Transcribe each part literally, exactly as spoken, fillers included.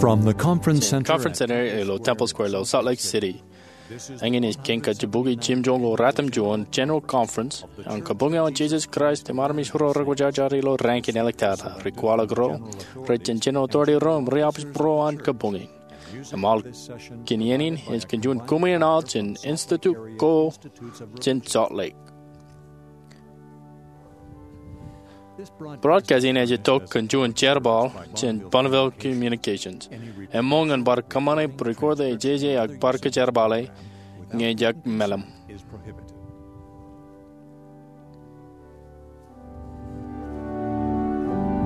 From the Conference Center Conference Center ilo Temple Square ilo Salt Lake City. Eñin ej kein kajjibukwi jimjuon ko ratimjuon General Conference an Kabuñ eo an Jesus Christ im Armej ro Rekwōjarjar ilo Rankine ḷọk tata. Ri kwaḷọk ro, rej jān General Authority ro im ri-opice ro an kabuñ in. Im aolep kōn iien in ej kōn juon kumi in aḷ jān Institute ko jān Salt Lake. Broadcast in ej itok kōn juon jerbal jān Bonneville Communications. Eṃṃool ñan bar kōṃṃane record e, jeje ak bar kōjerbale ñe ejjab meḷeḷe.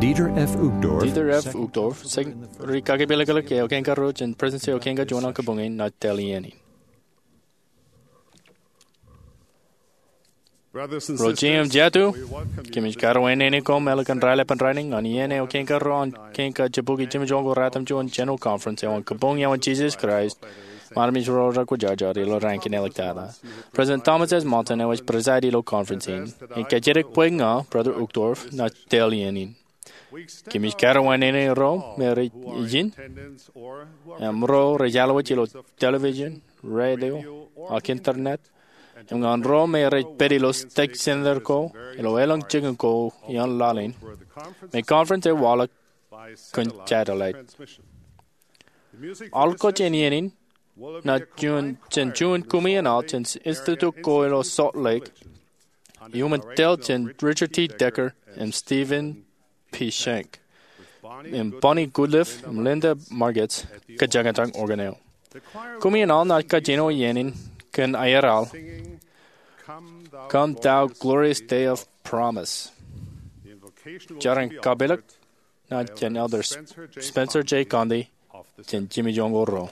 Dieter F. Uchtdorf, Dieter F. Uchtdorf, Secretary, Kakepālōklōk eo kein karuo jān Presidency eo kein kajuon an kabuñ in, ej tōl iien in. Ro jeiū im jatū, kōmij karuwainene koṃ ālikin raelepen rainin ñan iien eo kein karuo an kein kajjibukwi jimjuon ko ratimjuon General Conference eo an Kabuñ eo an Jesus Christ im Armej ro Rekwōjarjar ilo Rankine ḷọk tata. President Thomas S. Monson eo ej preside ilo conference in. Im kajjitōk bwe ña, Brother Uchtdorf, ij tōl iien in. Kōmij karuwainene ro me rej ijin im ro rej alwōj ilo television, radio, ak internet, im ñan ro me rej pād ilo state center ko ilo elōñ jikin ko ioon laḷ in, me conference ej waḷọk kōn satellite. Aolep ko jān iien in ej juon jān juon kumi in aḷ jān Institute ko ilo Salt Lake, iuṃwin tōl jān Richard T. Decker im Stephen P. Shank, im Bonnie Goodliffe im Linda Margetts kōjañjañ organ eo. Kumi in aḷ ej kajjino iien in kōn aer aḷ, "Come, thou glorious day of promise." Jar in kapelōk ej jān Elder Spencer J. Condie jān jimjuon ko ruo.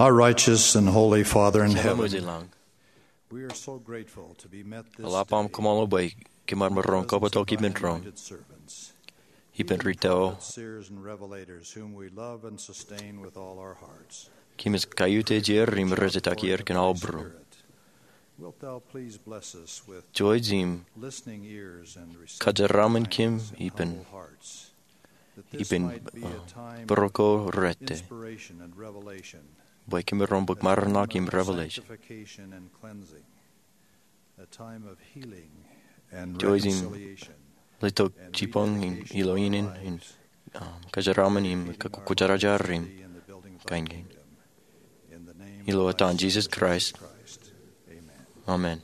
Our righteous and holy Father in heaven, Jemām eo ej lañ, we are so grateful to be met this eḷap aṃ day kōṃṃool bwe kōm ar maroñ in kobatok ippān doon, by your anointed servants, ippān rito, seers and revelators whom we love and sustain with all our hearts. Kōmij kaiutiej er im rej jatake er kōn aō būruōm. Wilt thou please bless us with Jouj im listening ears and receptive minds and humble hearts, kōjeraaṃṃan kōm ippān, ippān, uh, bōro ko rejjab, inspiration and revelation, bwe kōm maroñ bōk maraṇo im revelation. Sanctification and cleansing, a time of healing and reconciliation, letok jibboñ im ilo ineen, um, kōjeraaṃṃan im kōkkujarjar im kain kein. Ilo etan Jisōs Kraist. Amen.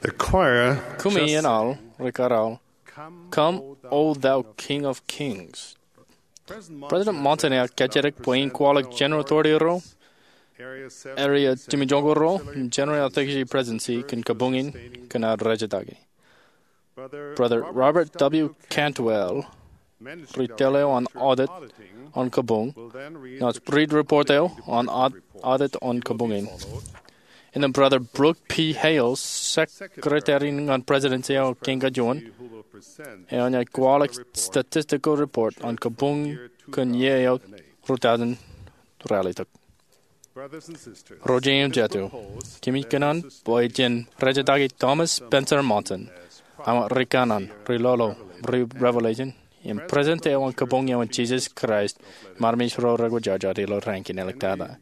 The choir Kumi just in aḷ, ri-kōrā aḷ, Come, O thou King of Kings. President Monson ear kajjitōk bwe in kwaḷọk General Authority ro, Area Jimmy Joñko ro im General Theology Presidency kōn kabuñ in kōn aō rejetaki. Brother Robert W. Cantwell ri tōl eo an audit an kabuñ, naaj riit report eo an audit an kabuñ in. Innām Brother Brooke P. Hales, Secretary ñan Presidency eo kein kajuon, eo enaaj kwaḷọk statistical report an kabuñ kōn iiō eo rūttāān ralitōk. Ro jeiū im jatū, kōmij kōṇaan bwe jen rejetaki Thomas Spencer Monson, āinwōt ri kanaan, ri lolo, ri revelation, im President eo an kabuñ eo an Jesus Christ im armej ro rekwōjarjar ilo raan in āliktata.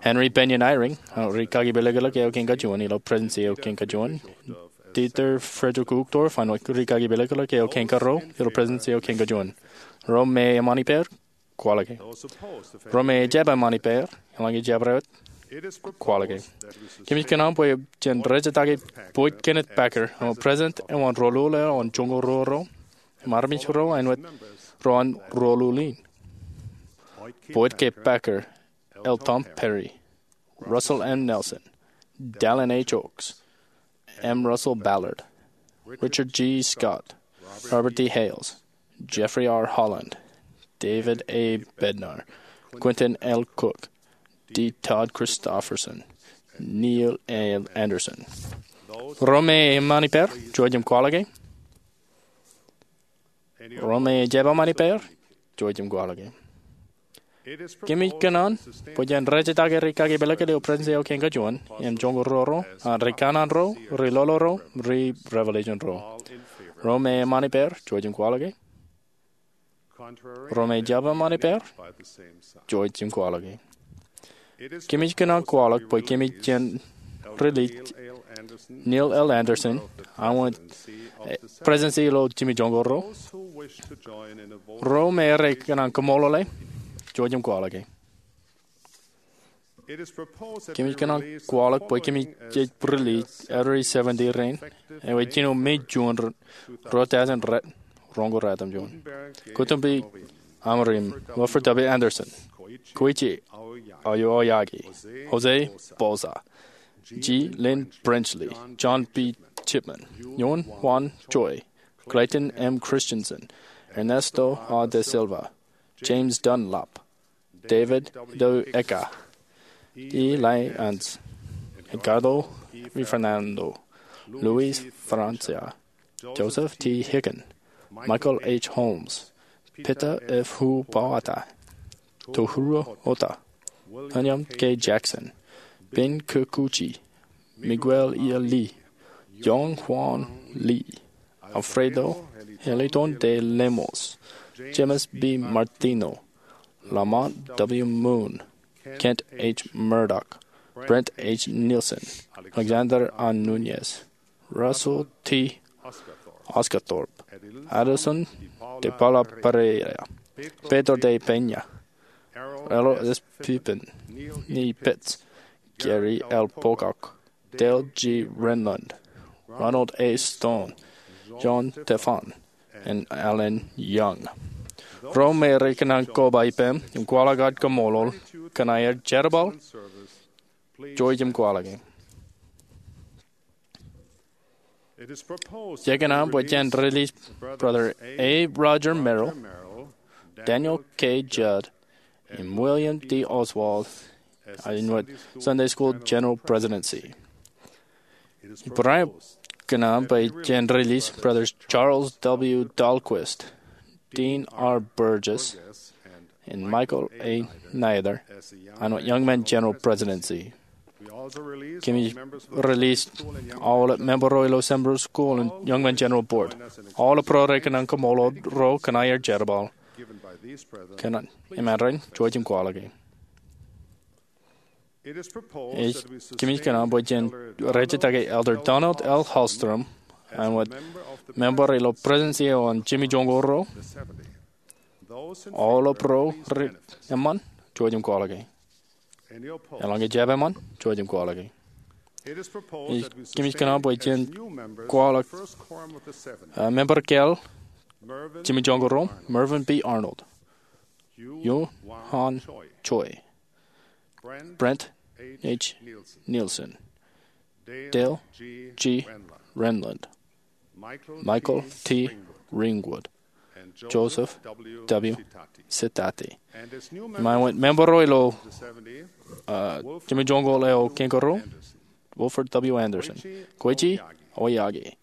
Henry Bennion Eyring, āinwōt ri kakipelekilōk eo kein kajuon ilo Presidency eo kein kajuon. Dieter Friedrich Uchtdorf, āinwōt ri kakipelekilōk eo kein karuo ilo Presidency eo kein kajuon. Ro me eṃṃan ippāer, kwaḷọke. Ro me ejjab eṃṃan ippāer, eḷaññe jab rewōt, kwaḷọke. Kōmij kōṇaan bwe jen rejetaki Boyd Kenneth Packer, āinwōt President eo an Rōlul eo an Joñko Ruo ro, im armej ro āinwōt ro an rōlul in. Boyd K. Packer, L. Tom Perry, Russell M. Nelson, Dallin H. Oaks, M. Russell Ballard, Richard G. Scott, Robert D. Hales, Jeffrey R. Holland, David A. Bednar, Quentin L. Cook, D. Todd Christofferson, Neil A. Andersen. Ro me eṃṃan ippāer, jouj im kwaḷọke. Ro me ejjab eṃṃan ippāer, jouj im kwaḷọke. Kōmij kōṇaan bwe jen rejetaki ri kakipelekilōk ilo Presidency eo kein kajuon, im Joñko Ruo ro, āinwōt ri kanaan ro, ri lolo ro, ri revelation ro. Ro me eṃṃan ippāer, jouj im kwaḷọke. Ro me ejjab eṃṃan ippāer, jouj im kwaḷọke. Kōmij kōṇaan kwaḷọk bwe kōmij jen release Neil L. Andersen, āinwōt, eh, Presidency ilo Jimmy Joñko ro. Ro me rej kōṇaan kaṃṃoolole, jouj im kwaḷọke. Kōmij kōṇaan kwaḷọk bwe kōmij jej release Elder seventy rein, eo ej jino May June ruo thousand ret, roñoul ruatimjuon. Kotumbi Amuriim, Wilford W. Andersen, Koichi Aoyagi, Jose Boza, G. Lynn Brenchley, John B. Chipman, Yoon Hwan Choi, Clayton M. Christensen, Ernesto A. de Silva, James Dunlap, David W. Eka, E. Lai Ans, Edgardo V. Fernando, Luis Francia, Joseph T. Hicken, Michael H. Holmes, Peter F. Hu Bawata, Tohiro Oda, William K. Jackson, Ben Kikuchi, Miguel E. Lee, Yong Hwan Lee, Alfredo Eliton de Lemos, James B. Martino, Lamont W. Moon, Kent H. Murdoch, Brent H. Nielsen, Alexander A. Nuñez, Russell T. Osguthorpe, Adelson de Paula Pereira, Pedro de Peña, Errol S. Pippen, Neil Pitts, Gary L. Pocock, Dale G. Renlund, Ronald A. Stone, John Tefan, im Alan Young. Ro me rej kōṇaan koba ippām im kwaḷọk aō kaṃṃoolol kōn aer jerbal, jouj im kwaḷọke. Jej kōṇaan bwe jen release Brother A. Roger Merrill, Daniel K. Judd, im William D. Oswald āinwōt Sunday School General Presidency. Ibarāinwōt kōṇaan bwe jen release Brothers Charles W. Dahlquist, Dean R. Burgess, im Michael A. Neither āinwōt Young Men General Presidency. Kōmij release aolep member ro ilo Sunday School im Young Men General Board. Aolep ro rej kōṇaan kaṃṃoolol ro kōn aer jerbal. Kōn eṃṃan rein, jouj im kwaḷọke. Ej, kōmij kōṇaan bwe jen rejetaki Elder Donald L. Hallstrom āinwōt member ilo Presidency eo an Jimmy Joñko ro. Aolep ro rej eṃṃan, jouj im kwaḷọke. Eḷaññe jab eṃṃan, jouj im kwaḷọke. Ej, kōmij kōṇaan bwe jen kwaḷọk, uh, member kōl Jimmy Joñko ro, Mervyn B. Arnold, Yoon Hwan Choi, Brent H. Nielsen, Dale G. Renlund, Michael T. Ringwood, Joseph W. Sitati. Im āinwōt member ro ilo, uh, jimjuonñoul eo kangaroo, Wilford W. Anderson, Koichi Aoyagi,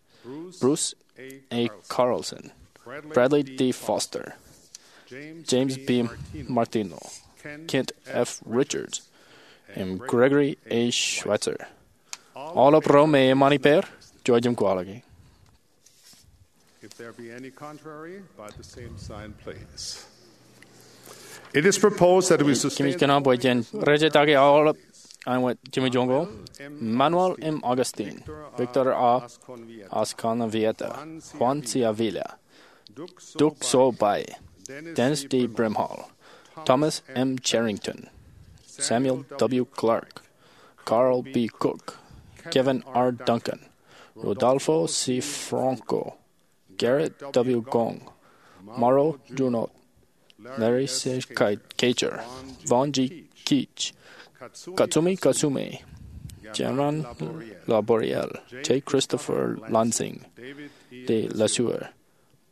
Bruce A. Carlson, Bradley D. Foster, James B. Martino, Kent F. Richards, im Gregory A. Schweitzer. Aolep ro me eṃṃan ippāer, jouj im kwaḷọke. If there be any contrary, by the same sign, please. It is proposed that we sustain. Kōmij kōṇaan bwe jen rejetake aolep āinwōt jimjuonñoul: Manuel M. Augustine, Victor A. Azcárnavieta, Juan C. Avila, Duc So Pai, Dennis D. Brimhall, Thomas M. Cherrington, Samuel W. Clark, Carl B. Cook, Kevin R. Duncan, Rodolfo C. Franco, Gerrit W. Gong, Mauro Junod, Larry C. Kager, Vaughn G. Keech, Katsumi Katsume, Jeran Laboriel, J. Christopher Lansing, David E. Lesueur,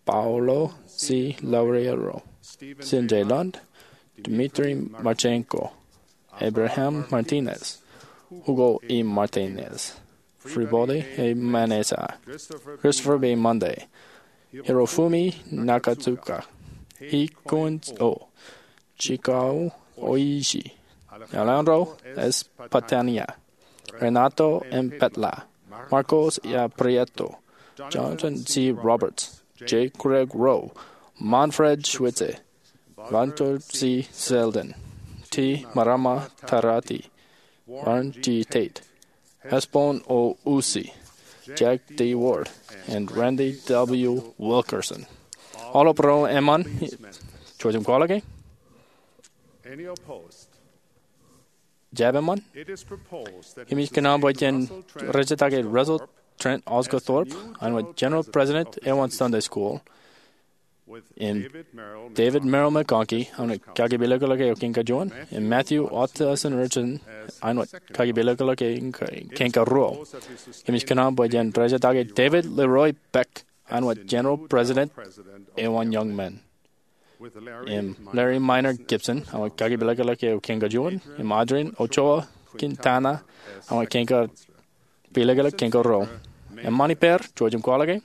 Paulo C. Loureiro, Stephen J. Lund, Dmitry Marchenko, Abraham Martinez, Hugo E. Martinez, Fribody A. Manesa, Christopher B. Munday, Hirofumi Nakatsuka, Hikun O., Chikao Oishi, Alejandro S. Patania, Renato M. Petla, Marcos A. Prieto, Jonathan C. Roberts, J. Craig Rowe, Manfred Schwitze, Walter C. Selden, T. Marama Tarati, Warren G. Tate, Hesbon O. Usi, Jack D. Ward, and Randy W. Wilkerson. Aolep ro eṃṃan, jouj im kwaḷọke. Jab eṃṃan. Kōmij kōṇaan bwe jen rejetake Russell Trent Osguthorpe āinwōt General President eo an Sunday School, im David Merrill McConkie āinwōt kakipilōklōk eo kōn kajuon, im Matthew Otterson Richardson āinwōt kakipilōklōk eo kōn karuo. Kōmij kōṇaan bwe jen rejetake David Leroy Beck āinwōt General President eo an Young Men, im Larry Minor Gibson āinwōt kakipilōklōk eo kōn kajuon, im Adrian Ochoa Quintana āinwōt kakipilōklōk eo kōn karuo. Eṃṃan ippāer, jouj im kwaḷọke.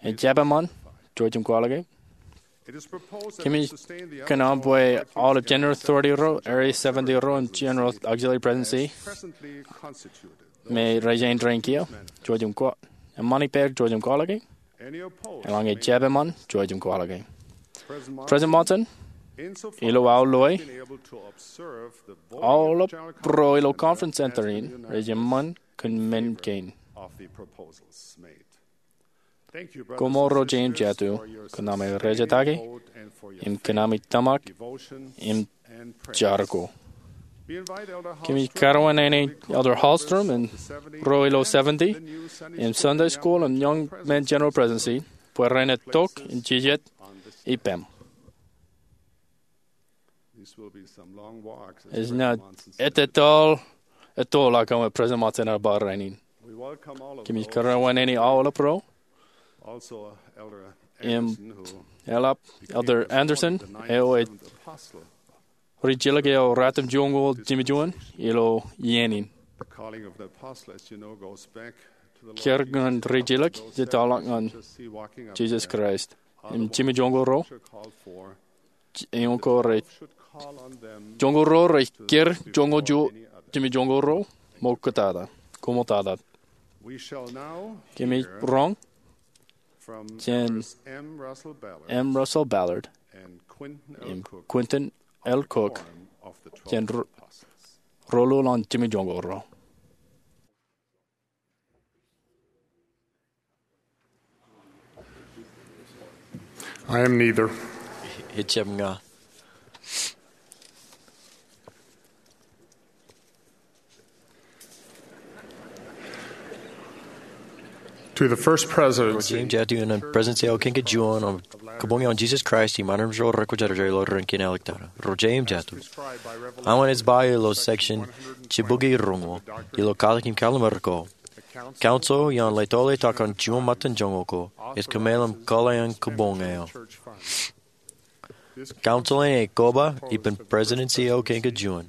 Ejjab eṃṃan, jouj im kwaḷọke. Kōmij kōṇaan bwe aolep General Authority ro, Area seventy ro, im General Auxiliary Presidency me rej jañin kiiō, jouj im kwa-, eṃṃan ippāer, jouj im kwaḷọke. Eḷaññe jab eṃṃan, jouj im kwaḷọke. President Monson, ilo aō loe, aolep ro ilo Conference Center in rej eṃṃan kōn men kein. Koṃṃool ro jeiū im jatū kōn ami rejetake im kōn ami tōmak im jar ko. Kōmij karuwainene Elder Hallstrom im ro ilo seventy im Sunday School im Young Men General Presidency bwe ren itok im jijet ippaṃ. Ej naaj ettōl, ettōl ak eṃṃan President Monson ear ba rainin. Kōmij karuwainene aolep ro im eḷap Elder Anderson eo ej rijjilōk eo ratimjuonñoul jimjuon ilo iien in. Kiiō ñan rijjilōk ej tōl ñan Jisōs Kraist im jimjuonñoul ruo, jimjuonñoul ruo rej kūr, jimjuonñoul ruo rej kūr ṃoktata, koṃṃoktata. Kōmij roñ jān M. Russell Ballard im Quentin L. Cook jān ro-, roḷoḷḷap jimjuonñoul ruo. I am neither. Ejjab ña. Be the first presidency. Ro jeiū im jatū in an Presidency eo kein kajuon an Kabuñ eo an Jesus Christ im Armej ro Rekwōjarjar ilo ren kien āliktata. Ro jeiū im jatū. Aṃ an ej ba ilo section jibukwi roñoul ilo Katak im Kallim̧ur ko. Council eo an Leto Letak an Juon Ṃōttan Joñoul ko ej kōmeḷeḷe kōḷḷā an kabuñ eo. Council in ej koba ippān Presidency eo kein kajuon,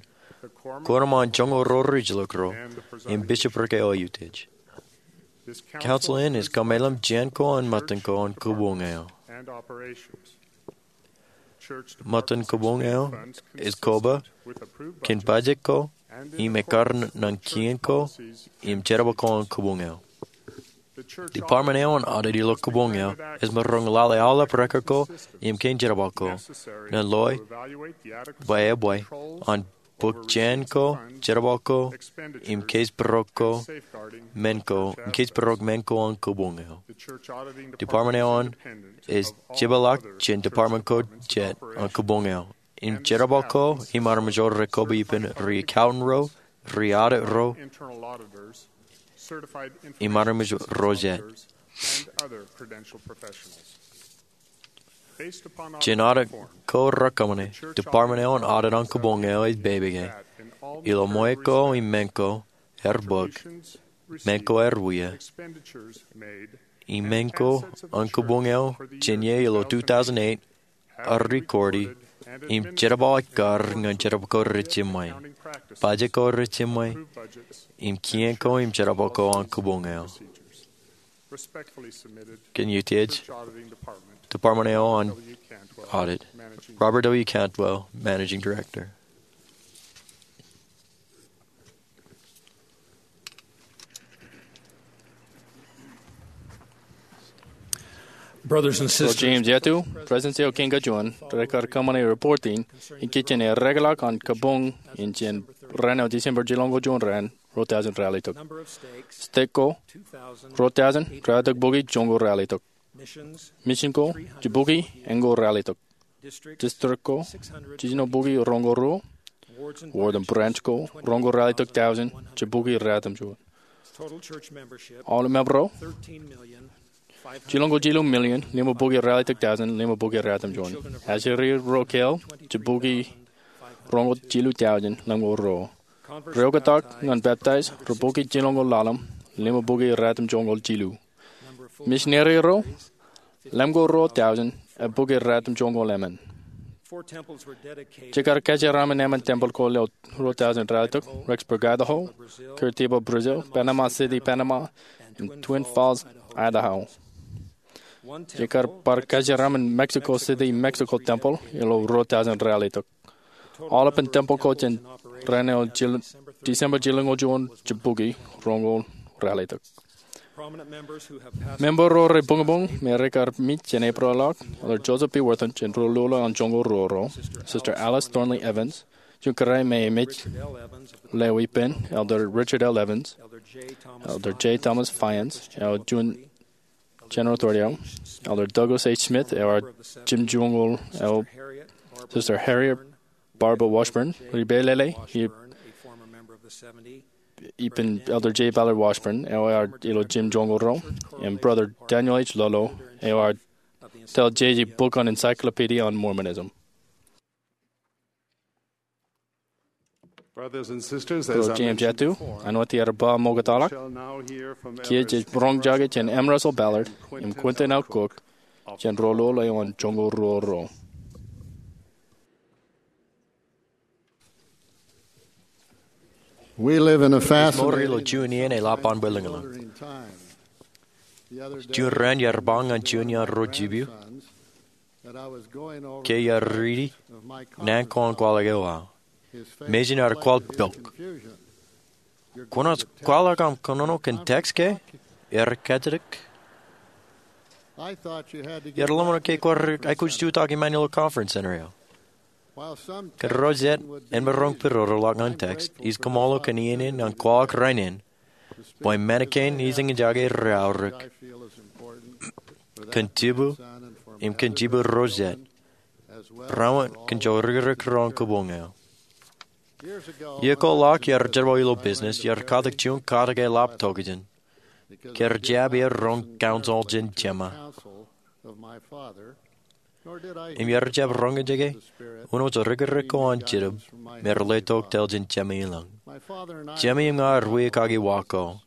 Kuoram an Joñoul ro rijilōk ro, im Bishopric eo eutiej. Council in ej kōmeḷeḷe jān ko an ṃōttan ko an kabuñ eo. Ṃōttan kabuñ eo ej koba kōn bajjek ko im ekkar ñan kien ko im jerbal ko an kabuñ eo. Department eo an audit ilo kabuñ eo ej maroñ lale aolep record ko im kein jerbal ko ñan loi bwe ebwe an bōk jān ko, jerbal ko, im case pūrok ko, men ko, im case pūrok men ko an kabuñ eo. Department eo an ej jipeḷḷọk jān department ko jet an kabuñ eo. Im jerbal ko im armej ro rekoba ippān ri accountant ro, ri audit ro, im armej ro jet. Jān audit ko rekōṃṃane, department eo an audit an kabuñ eo ej pād ilo ṃweo ko im men ko ear bōk, men ko ear wia, im men ko an kabuñ eo jān iien ilo two thousand eight ear record im jerbal ekkar ñan jerbal ko rej jiṃṃe, bajjek ko rej jiṃṃe, im kien ko im jerbal ko an kabuñ eo. Kōn eutiej, Department eo an Audit. Robert W. Cantwell, Managing Director. Brothers and sisters, Ro jeiū im jatū, Presidency eo kein kajuon rekar kōṃṃane report in ikijjien ereḷọk an kabuñ in jān raan eo December jilñoul juon raan, ruo thousand ralitōk. State ko, ruo thousand ralitōk bukwi joñoul ralitōk. Mission ko, jibukwi eñoul ralitōk. District ko, jiljino bukwi roñoul ruo. Ward im branch ko, roñoul ralitōk thousand, jibukwi ratimjuon. Aolep member ro, jilñoul jilu million, limabukwi ralitōk thousand, limabukwi ratimjuon. Ajri ro kāāl, jibukwi roñoul jilu thousand, limñoul ruo. Ri oktak ñan baptize, ri bukwi jilñoul ḷalem, limabukwi ratimjuonñoul jilu. Misineri ro, limñoul ruo thousand, ebukwi ratimjuonñoul emān. Jekar kōjeraaṃṃan emān tempeḷ ko ilo ruo thousand ralitōk, Rexburg, Idaho, Curitiba, Brazil, Panama City, Panama, im Twin Falls, Idaho. Jekar bar kōjeraaṃṃan Mexico City, Mexico tempeḷ ilo ruo thousand ralitōk. Aolepen tempeḷ ko jān raan eo December jilñoul juon, jibukwi roñoul ralitōk. Member ro rebuñbuñ me rekar mej jān April ḷọk, Elder Joseph B. Wirthlin jān Ruo Lula an Joñoul Ruo ro, Sister Alice Thornley Evans, juon kōrā me ej mej ḷeo ippān, Elder Richard L. Evans, Elder J. Thomas Fyans, eo juon General Authority eo, Elder Douglas H. Smith, eo ear jimjuonñoul, eo Sister Harriet Barber Washburn, ri pālele, eo ippān Elder J. Ballard Washburn, eo ear ilo jimjuonñoul ro, im Brother Daniel H. Lolo, eo ear tōl jeje bok an Encyclopedia on Mormonism. Ro jeiū im jatū, āinwōt iar ba ṃoktata ḷọk, kiiō jej roñjake jān M. Russell Ballard im Quentin L. Cook jān Ruo Lula eo an Joñoul Ruo ro. Ij mour ilo juon iien eḷap an bwilōñlōñ. Juon raan iar ba ñan juon iaan ro jipiu ke iar riiti naan ko an kwaḷọk eo aō. Mejān ear kwaḷ pok. Kwōnaaj kwaḷọk aṃ kōnono kōn tax ke? Ear kajjitōk. Iar lōmṇak ke kwaar aikuj jutak iṃaan ilo conference center eo. Kōn ro jet en maroñ pidodoḷọk ñan tax, ij kōṃṃool kōn iien in ñan kwaḷọk rainin bwe men kein ij eñjake reaorōk kōn jipu im kōn jipu ro jet, raorōk kōn jorikrōk ro an kabuñ eo. Iiō ko ḷọk iar jerbal ilo business, iar katak juon katak eḷap tokjān. Ke rej jab roñ counsel jān Jema. Im iar jab roñjake, uno rej rikirek ko an Jitōb me rej letok tōl jān Jema ilañ. Jema im ña ar wiakake wa ko.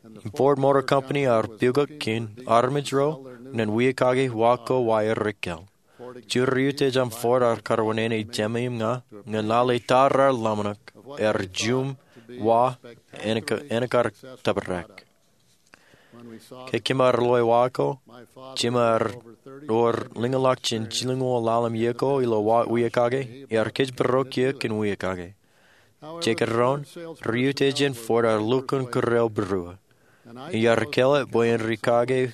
Im Ford Motor Company ar pukot kōn armej ro ñan wiakake wa ko wōt rej kōḷ. Juon ri-utiej an Ford ar karwōnene Jema im ña ñan lale tar ar ḷōmṇak, ear juṃ wa, en kar tōprak. Ke kōm ar loe wa ko, Jema ear wōr lōñḷọk jān jilñuul ḷalem iiō ko ilo wiakake, ear kōjparok eō kōn wiakake. Jekdọọn, ri-utiej in Ford ar lukkuun kūr eobūruō. Iar kōḷḷe bwe en ri kake,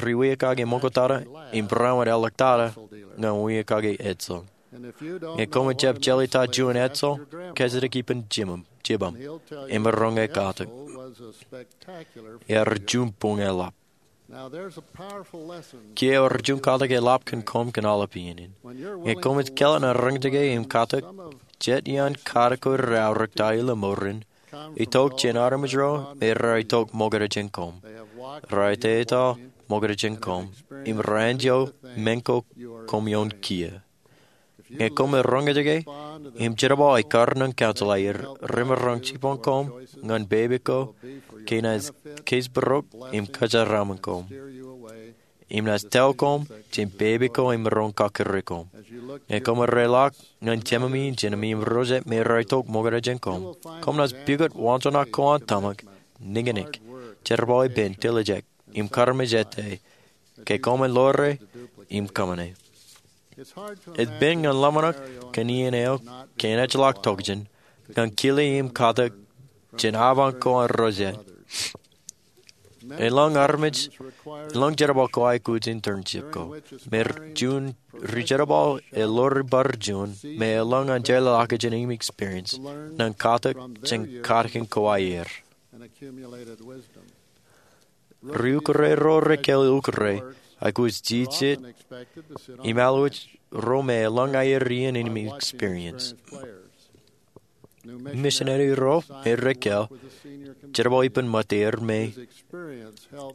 ri wiakake ṃoktata, im barāinwōt eḷḷọktata ñan wiakake edsel. Ñe koṃij jab jeḷā ta juon edsel, kōjatdikdik ippān jibōṃ, im ear roñjake katak. Ear juṃ buñ eḷap. Kiiō ewōr juon katak eḷap kōn koṃ kōn aolep iien in. Ñe koṃij kōḷḷe ñan roñjake im katak, jet iaan katak ko reaorōk ta ilo mour in, itok jān armej ro me raar itok ṃokta jān koṃ. Raar etetal ṃokta jān koṃ, im raar enjeḷ men ko koṃ ioon kiiō. Ñe koṃ roñjake im jerbal ekkar ñan counsel aer, remaroñ jibboñ koṃ ñan pepe ko ke naaj kōjparok im kōjeraaṃṃan koṃ, im naaj tōl koṃ jān pepe ko emaroñ kakkure koṃ. Ñe koṃ reḷọk ñan jememi, jememi im ro jab me raar itok ṃokta jān koṃ, koṃ naaj pukot waanjoñak ko an tōmak, nikinik, jerbal ippān, dilijek, im karmejete, ke koṃ ḷoore im kōṃṃane. Ej pen ñan ḷōmṇak kōn iien eo ke en ejjeḷọk tokjān, ñan kile im katak jān aban ko an ro jab. Elōñ armej, elōñ jerbal ko aikuj in internship ko, me juon ri-jerbal eḷoori bar juon, me elōñ an jeḷā kajin im experience, ñan katak jān katakin ko aer. Ri-ukure ro rekōl ukure, aikuj jijet, im alwōj ro me elōñ aer iien im experience. Misineri ro me rekōl, jerbal ippān ṃōtteer me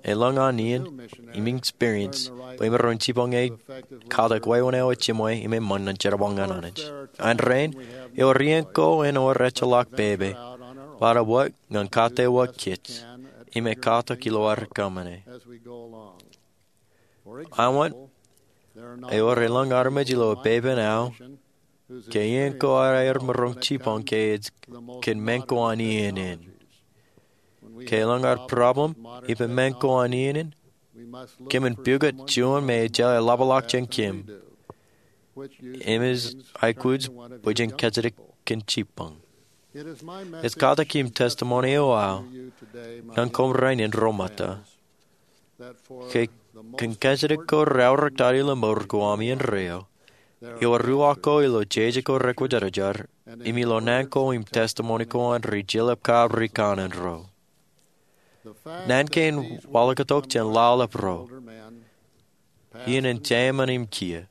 elōñ an iien im experience, bwe emaroñ jibboñe katak wāween eo ejimwe im eṃṃan ñan jerbal ñan Anij. An rainin, ewōr iien ko en wōr ejjeḷọk pepe, bōtab wōt ñan kate wōt kōj, im katak ilo ad kōṃṃane. Āinwōt, ewōr elōñ armej ilo epepen ao, ke iien ko ad aer maroñ jibboñ ke ej kōn men ko an iien in. Ke elōñ ad problem ippān men ko an iien in, kōmin pukot juon me ejjeḷā ḷapḷọk jān kōm, im ej aikuj bwe jen kōjatdikdik kōn jibboñ. Ej katak im testimony eo aō ñan koṃ rainin ro ṃōtta, ke kōn kōjatdikdik ko reaorōk ta ilo mour ko aṃ iien raeo, ewōr ruo ko ilo jeje ko rekwōjarjar, im ilo naan ko im testimony ko an ri-jeḷāb kab ri kanaan ro. Naan kein waḷọktok jān lale ro, iien in jeiṃṃan im kiiō,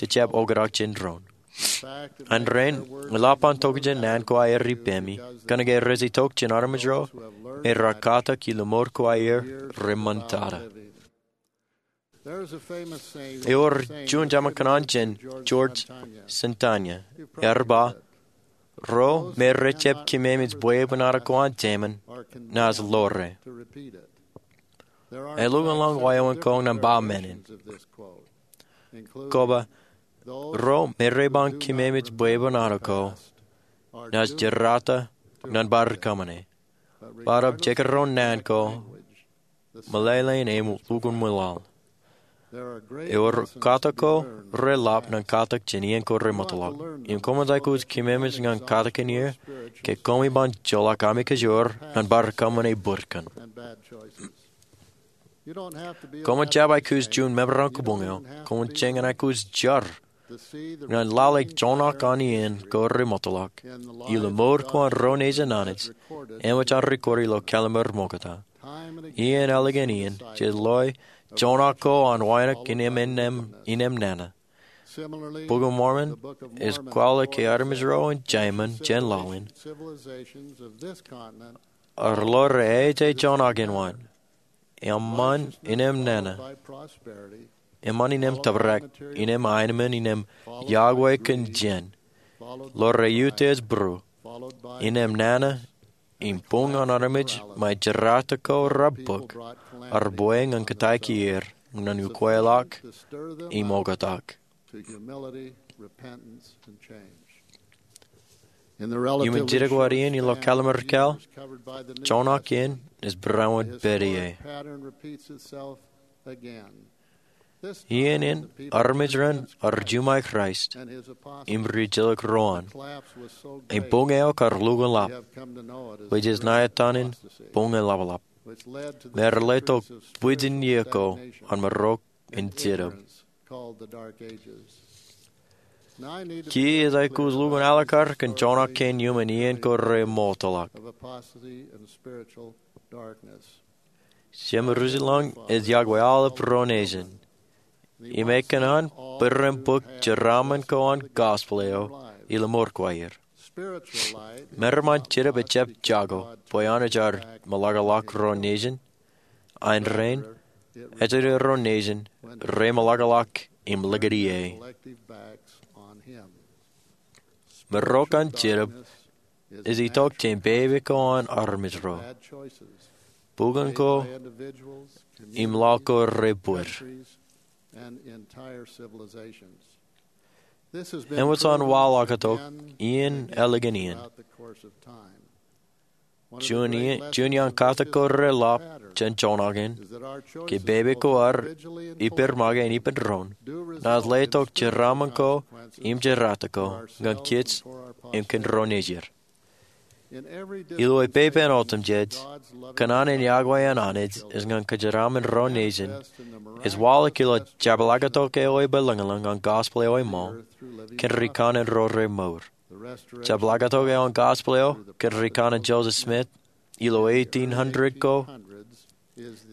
jejjab oktak jān doon. An rainin, eḷap an tokjān naan ko aer ippemi, kōnke rej itok jān armej ro me raar katak ilo mour ko aer reṃṃantata. Ewōr juon jema kōṇaan jān George Santayana, ear ba, ro me rejjab kememej bwebwenato ko an jeiṃṃan, naaj ḷoore. Eḷukkuun ḷọk wāween ko ñan ba men in. Koba, ro me rej ba kememej bwebwenato ko, naaj jerata ñan bar kōṃṃane. Bōtab jekdọọn naan ko, meḷeḷein im lukkuun ṃwilaḷ. Ewōr katak ko reḷap ñan katak jān iien ko remootḷọk. Im koṃij aikuj kememej ñan katakin er, ke koṃ iban joḷọk ami kōjro ñan bar kōṃṃane bōd kaṇ. Koṃij jab aikuj juon member an kōbuñ eo, koṃij jañin aikuj jar ñan lale joñak an iien ko remootḷọk. Ilo mour ko an ro nejin Anij, eṃōj an record ilo kalliṃur ṃokta. Iien ālikin iien, jej loe joñak ko an wānōk innem nana. Bok in Mormon ej kwaḷọk ke armej ro in jeiṃṃan jān laḷ in Ar lore ej joñak in waan, eṃṃan inem nana, eṃṃan inem tōprak, inem aenōṃṃan, inem yokwe kōn jān, lore utiej būruō, inem nana, im buñ an armej ṃae jerata ko raar bōk, ear bwe ñan kōtaiki er ñan ukweḷọk im oktak. Iuṃwin jidik wōt iien ilo Kallim̧ur Ikōḷ, joñak in ej barāinwōt pād ie. Iien in armej ren ear juṃae Kraist im ri-ejjeḷọk ro an. Im buñ eo kar lukkuun ḷap, bwe jej ṇa etan in buñ in ḷapḷap, me ear letok bwijin iiō ko an marok in Jetōb. Kiiō ej aikuj lukkuun alikkar kōn joñak kein iuṃwin iien ko remootḷọk. Jeṃ Jerusalem ej yokwe aolep ro nejin. Im ekōṇaan bwe ren bōk jeraaṃṃan ko an gospel eo ilo mour ko aer. Meram an Jetōb ejjab jako bwe Anij ear meḷọkḷọk ro nejin. Ain rainin, ejjeḷọk ro nejin remeḷọkḷọk im likūti e. Marok an Jetōb ej itok jān pepe ko an armej ro, bukwōn ko im laḷ ko rebwid. Eṃōj an waḷọktok iien ālikin iien. Juon iaan katak ko reḷap jān joñak in, ke pepe ko ad ippān make im ippān doon, naaj letok jeraaṃṃan ko im jerata ko ñan kōj im kōn ro nejier. Ilo epepen otemjej, kōṇaan in yokwe an Anij ej ñan kōjeraaṃṃan ro nejin ej waḷọk ilo jepḷaaktok eo ebōlōñlōñ an gospel eo eṃṃool kōn rikaṇin ro remour. Jepḷaaktok eo an gospel eo kōn rikaṇin Joseph Smith ilo eighteen hundred ko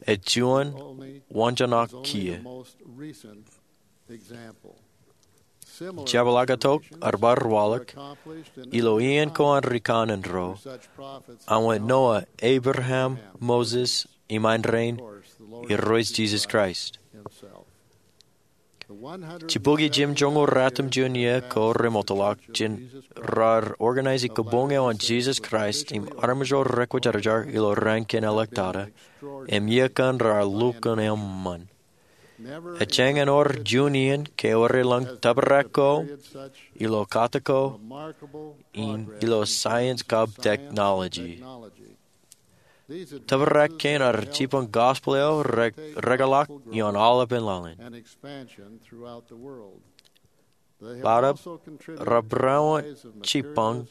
ej juon waanjoñak kiiō. Jepḷaaktok ear bar waḷọk ilo iien ko an rikaṇin ro an wōt Noah, Abraham, Moses, im ain rainin Irooj Jisōs Kraist. Jibukwi jimjuonñoul ratimjuon iiō ko remootḷọk jān raar organize kōbuñ eo an Jisōs Kraist im armej ro rekwōjarjar ilo raan kein āliktata, im iiō kaṇ raar lukkuun eṃṃan. Ejjañin wōr juon iien ke ewōr elōñ tōprak ko ilo katak ko im ilo science kab technology. Tōprak kein ear jipañ gospel eo rekōḷọk ioon aolepen laḷ in. Bōtaab raar barāinwōt jipañ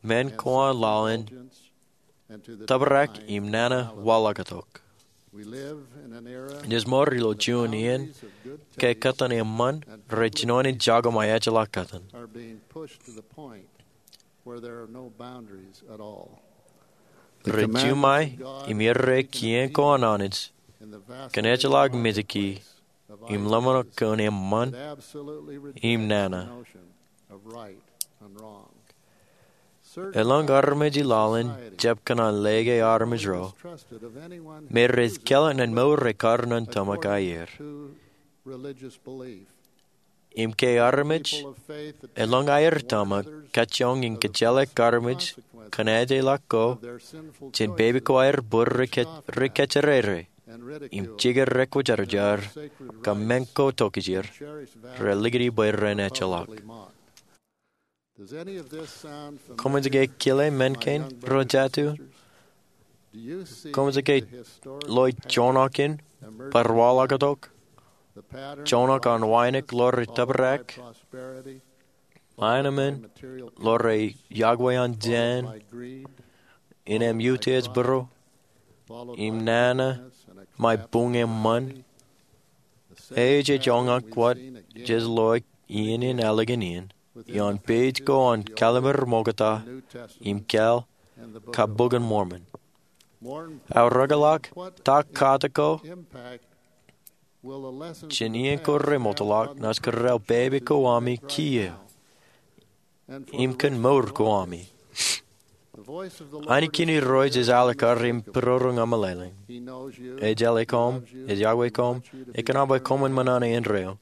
men ko an laḷ in tōprak im nana waḷọktok. Ij mour ilo juon iien ke kōttan eṃṃan rej jinoin jako ṃae ejjeḷọk kōttan. Rej juṃae im errā kien ko an Anij kōn ejjeḷọk mejki im ḷōmṇak kōn eṃṃan im nana. Elōñ armej i laḷ in jab kōṇaan lōke armej ro me rej kālōk ñan mour ekar ñan tōmak aer. Im ke armej elōñ aer tōmak kajjioñ in kōjjeḷā armej kōn ejjeḷọk ko jān pepe ko aer bwe rej kōjjere im jikier rekwōjarjar kab men ko tokjāer, rej likūti bwe ren ejjeḷọk. Koṃij ke kile men kein ro jatū? Koṃij ke loe joñak in bar waḷọktok, joñak an wānōk lore tōprak, aenōṃṃan lore yokwe an jān, inem utiej būruō, im nana ṃae buñ eṃṃan? Ej joñak wōt jej loe iien in ālikin iien ioon page ko an Kallim̧ur Ṃokta im Kāāl kab Bok in Mormon. Aō rekōḷọk ta katak ko jān iien ko remootḷọk naaj kōrā pepe ko ami kiiō im kōn mour ko ami. Anij kein Irooj ej alikkar im būroor ñan meḷeḷein. Ej jeḷā koṃ, ej yokwe koṃ, ekōṇaan bwe koṃwin ṃōṇōṇō indeeo.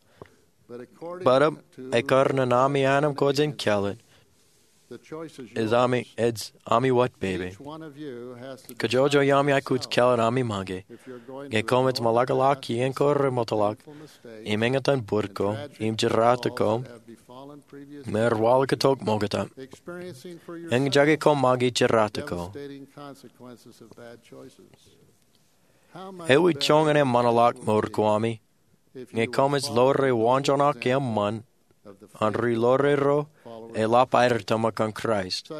Bōtab, ekkar ñan ami anemkwōj in kāālōt, ej ami, ej ami wōt pepe. Kōjwōj iaami aikuj kāālōt ami make. Ñe koṃij ṃōḷaḷḷọk iien ko remootḷọk, im eñtaan bōd ko, im jerata ko, im waḷọk tok ṃokta, eñjake koṃ make jerata ko. Ewi joñan eṃṃanḷọk mour ko ami ñe koṃij ḷoore waanjoñak eṃṃan an ri ḷoore ro eḷap aer tōmak ñan Kraist,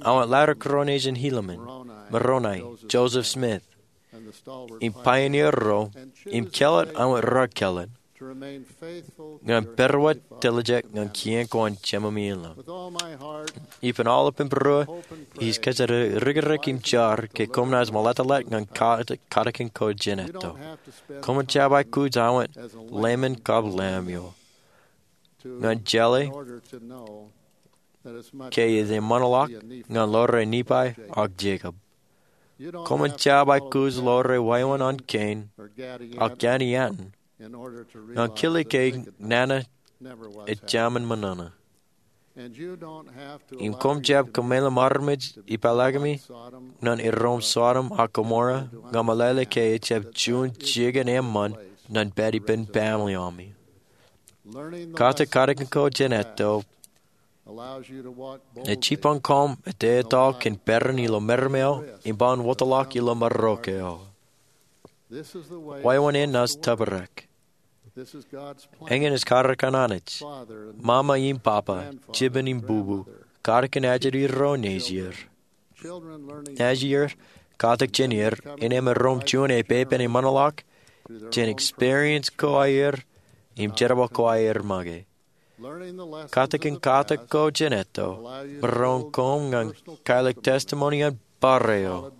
an wōt ḷaddik ro nejin Helaman, Moroni, Joseph Smith, im pioneer ro, im kāālōt an wōt raar kāālōt ñan pād wōt tiljek ñan kien ko an Jemāmi in ḷap. Ippān aolep im būruō, ij kōjro rikirek im jar ke koṃ naaj ṃōḷeḷḷọk ñan katakin ko jān etto. Koṃ jab aikuj an wōt lemon kab lamb eo. Ñan jeḷā ke ej eṃṃanḷọk ñan ḷoore Nephi ak Jakob. Koṃ jab aikuj ḷoore wāween an kein ak kani an ñan kile ke nana ej jāmin ṃōṇōṇō. Im koṃ jab kōmeḷeḷe armej ipālōkemi ñan iroṃ Sodom ak Gomorrah ñan meḷeḷe ke ejjab juon jikin eṃṃan ñan pād ippān baaṃle ami. Katakin ko jān etto ej jipañ koṃ ettā etto kōn peran ilo meram eo im ban wōtlọk ilo marok eo. Wāween in naaj tōprak. Eñin ej karōk an Anij. Mama im papa, jipen im bubu, katakin ajri ro nejier. Nejier katak jān er innām iroṃ juon epepen eṃṃanḷọk jān experience ko aer im jerbal ko aer make. Katakin katak ko jān etto maroñ koṃ ñan kālōk testimony an bar eo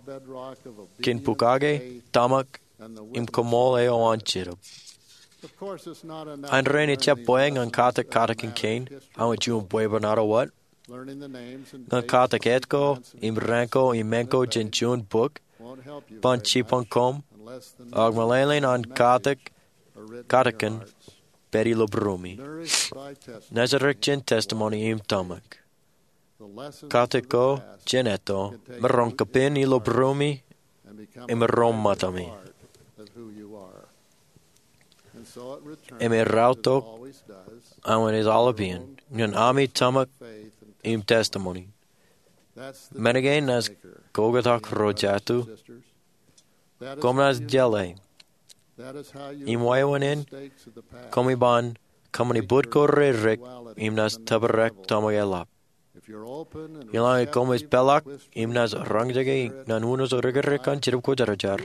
kōn bukake, tōmak, im koṃṃool eo an Jetōb. Āindein ejjab bwe ñan katak katakin kein an juon bwebwenato wōt. Ñan katak etto im rank ko im men ko jān juon bok ban jipañ koṃ ak meḷeḷein an katak katakin pād ilo būruemi. Nejirrek jān testimony im tōmak. Katak ko jān etto maroñ kapen ilo būruemi im maroñ ṃōtami. Im erreo tok an wōt ej aolep iien ñan ami tōmak im testimony. Men kein naaj koktak ro jatū. Koṃ naaj jeḷā im wāween in koṃ iban kōṃṃani bōd ko reirrek im naaj tōprak tōmak eḷap. Eḷaññe koṃij peḷḷọk im naaj roñjake ñan uno eo rikirek an Jetōb Kwōjarjar,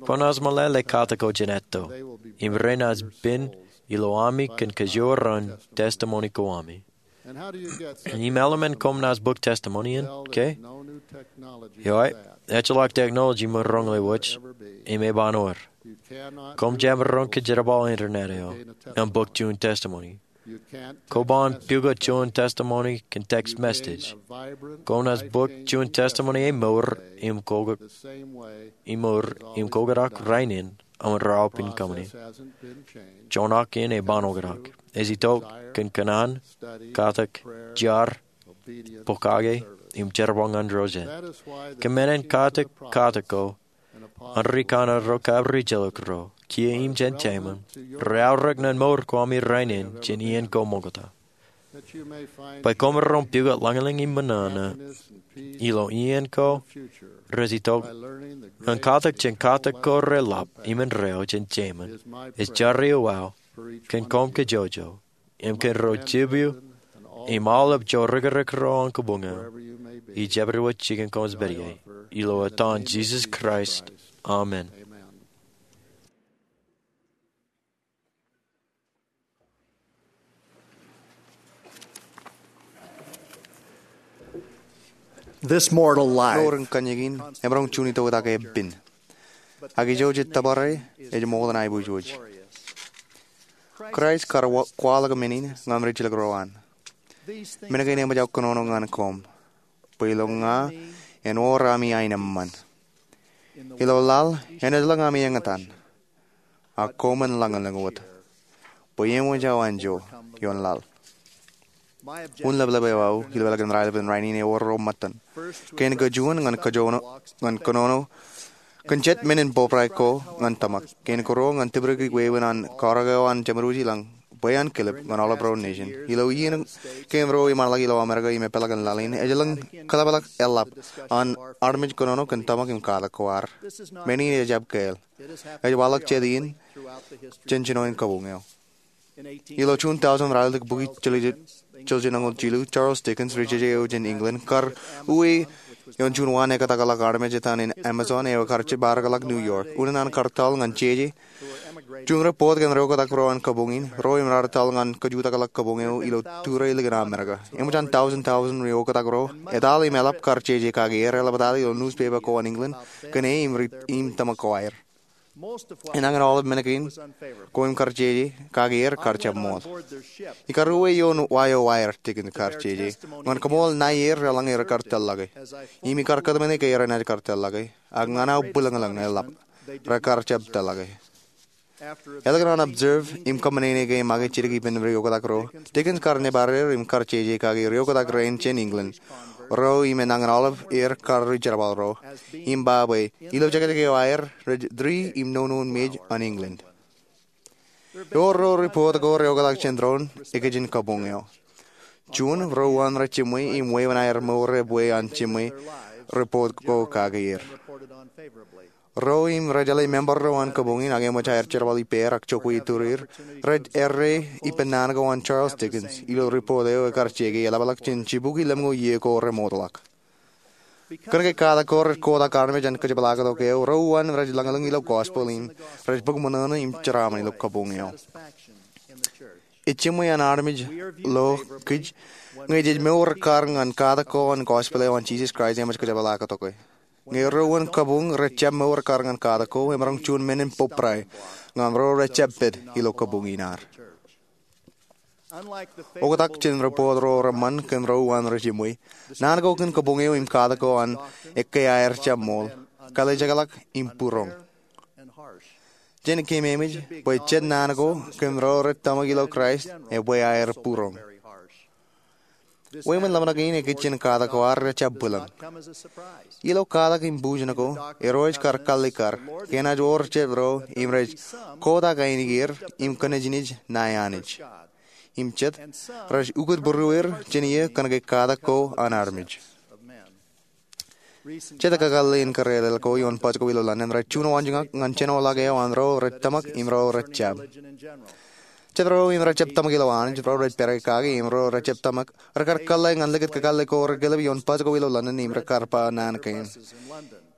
koṃ naaj meḷeḷe katak ko jān etto im renaaj pen ilo ami kōn kajoor an testimony ko ami. Im eḷmen koṃ naaj bōk testimony in ke? Eo, ejjeḷọk technology emaroñ ḷewōj im eban wōr. Koṃ jab maroñ kōjerbal internet eo ñan bōk juon testimony. Koban pukot juon testimony kōn text message. Koṃ naaj bōk juon testimony emour im ko, emour im koktak rainin an raopen kōṃṃani. Joñak in eban oktak. Ej itok kōn kōṇaan, katak, jar, bukake, im jerbal ñan Irooj. Kōn men in katak katak ko an ri kanaan ro kab ri jelōk ro, kiiō im jān taimem, reaorōk ñan mour ko ami rainin jān iien ko ṃokta. Bwe koṃ maroñ pukot lañlōñ im ṃōṇōṇō ilo iien ko rej itok ñan katak jān katak ko reḷap im indeeo jān taimem, ej jar eo wōt kōn koṃ kajjojo im kōn ro jipju im aolep eo rikirek ro an kabuñ eo. Ij jab wōj jikin koṃij pād ie ilo etan Jisōs Kraist. Amen. This mortal life. Mour in kōnjein emaroñ juon itok eo epen. Ak ijo jej tōpare ej ṃokta aiboojoj. Kraist kar wa-, kwaḷọk men in ñan rijjelōk ro an. Men kein eṃōj aō kōnono ñan koṃ. bwe ilo ña en wōr ami aenōṃṃan. Ilo laḷ en ejjeḷọk ami eñtaan, ak koṃwin lañlōñ wōt, bwe eṃōj aō anjọ ioon laḷ. Unin ḷapḷap eo aō ilo elōñ raelep in rainin ewōr ro ṃōttan. Kein kajuon ñan kōnono kōn jet men in bōbrae ko ñan tōmak. Kein karuo ñan tipdikdik wāween an kōrā eo an Jemedwōj ilañ bwe an kilep ñan aolep ro nation. Ilo iien kein ruo im ḷak ilo Amerika im epeḷḷọk in laḷ in, ejjeḷọk kōḷapḷọk eḷap an armej kōnono kōn tōmak im katak ko ad. Men in ejjab kāāl. Ej waḷọk jet iien jān jinoin kabuñ eo. Ilo June tọujin raelep bukwi jiljino ñoul jilu, Charles Dickens, ri-jeje eo jān England, kar uwe ioon juon waan ekōtakḷọk armej etan in Amazon eo ekar jibadekḷọk New York. Unin an kar tōl ñan jeje juon rej bōk kōn ri-oktak ro an kabuñ in, ro im raar tōl ñan kajutakḷọk kabuñ eo ilo tūrā ilikin Amerika. Eṃōj an tọujin tọujin ri-oktak ro etaḷ im eḷap kar jeje kake er, eḷaptata ilo newspaper ko an England kōn e im ri im tōmak ko aer. Enañin aolep men kein ko im kar jeje kake er kar jab ṃool. Ikar uwe ioon wa eo aer, Dickens kar jeje, ñan kōṃool ṇae er eḷaññe rekar tōllọke. Im ikar kōtmāne ke erenaaj kar tōllọke, ak ñan aō bwilōñlōñ eḷap rekar jab tōllọke. Elōñ an observe im kōṃṃane ke make jidik ippān ri-oktak ro, Dickens kar nōbar er im kar jeje kake ri-oktak rein jān England ro im enañin aolep er kar ri-jerbal ro, im ba bwe ilo jekjek eo aer rej tūri im nono in mej an England. Ewōr ro rej bōk ri-oktak jān doon ekijin kabuñ eo. Juon, ro uwaan rej jiṃwe im wāween aer mour epwe an jiṃwe rej bōk kake er. Ro im rej jeḷā member ro an kabuñ in ak eṃōj aer jerbal ippāer ak jokwe iturier, rej errā ippān naan ko an Charles Dickens ilo report eo ekar jeke eḷapḷọk jān jibukwi lemñoul iiō ko remootḷọk. Kōnke katak ko rej kotak armej an kōjepḷaaktok eo, ro uwaan rej lañlōñ ilo gospel im rej bōk ṃōṇōṇō im jeraaṃṃan ilo kabuñ eo. Ej jiṃwe an armej lo kij ñe jej mour ekkar ñan katak ko an gospel eo an Jisōs Kraist eṃōj kōjepḷaaktok e. Ñe ro uwaan kabuñ rej jab mour ekkar ñan katak ko, emaroñ juon men in bōbrae ñan ro rej jab pād ilo kabuñ in ad. Oktak jān ri-bōt ro reṃṃan kōn ro uwaan rej jiṃwe, naan ko kōn kabuñ eo im katak ko an ekkā aer jab ṃool, kalijekḷọk im būroñ. Jen keememej bwe jet naan ko kōn ro rej tōmak ilo Kraist epwe aer būroñ. Wāween ḷōmṇak in ekijjien katak ko ad rej jab bwilōñ. Ilo katak im bujen ko, Irooj kar kallikkar ke enaaj wōr jet ro im rej kotak ainikieir im kōnejnej ṇae Anij. Im jet rej ukōt būrueir jān iiō kōnke katak ko an armej. Jet kakōḷḷe in kōrālel ko ioon baj ko ilo London rej juon waanjoñak ñan jenoḷọk eo an ro rej tōmak im ro rej jab. Jet ro im rej jab tōmak ilo Anij, ro rej pere kake im ro rej jab tōmak, rekar kōḷḷe ñan likūt kakōḷḷe ko rekilep ioon baj ko ilo London im rekar ba naan kein: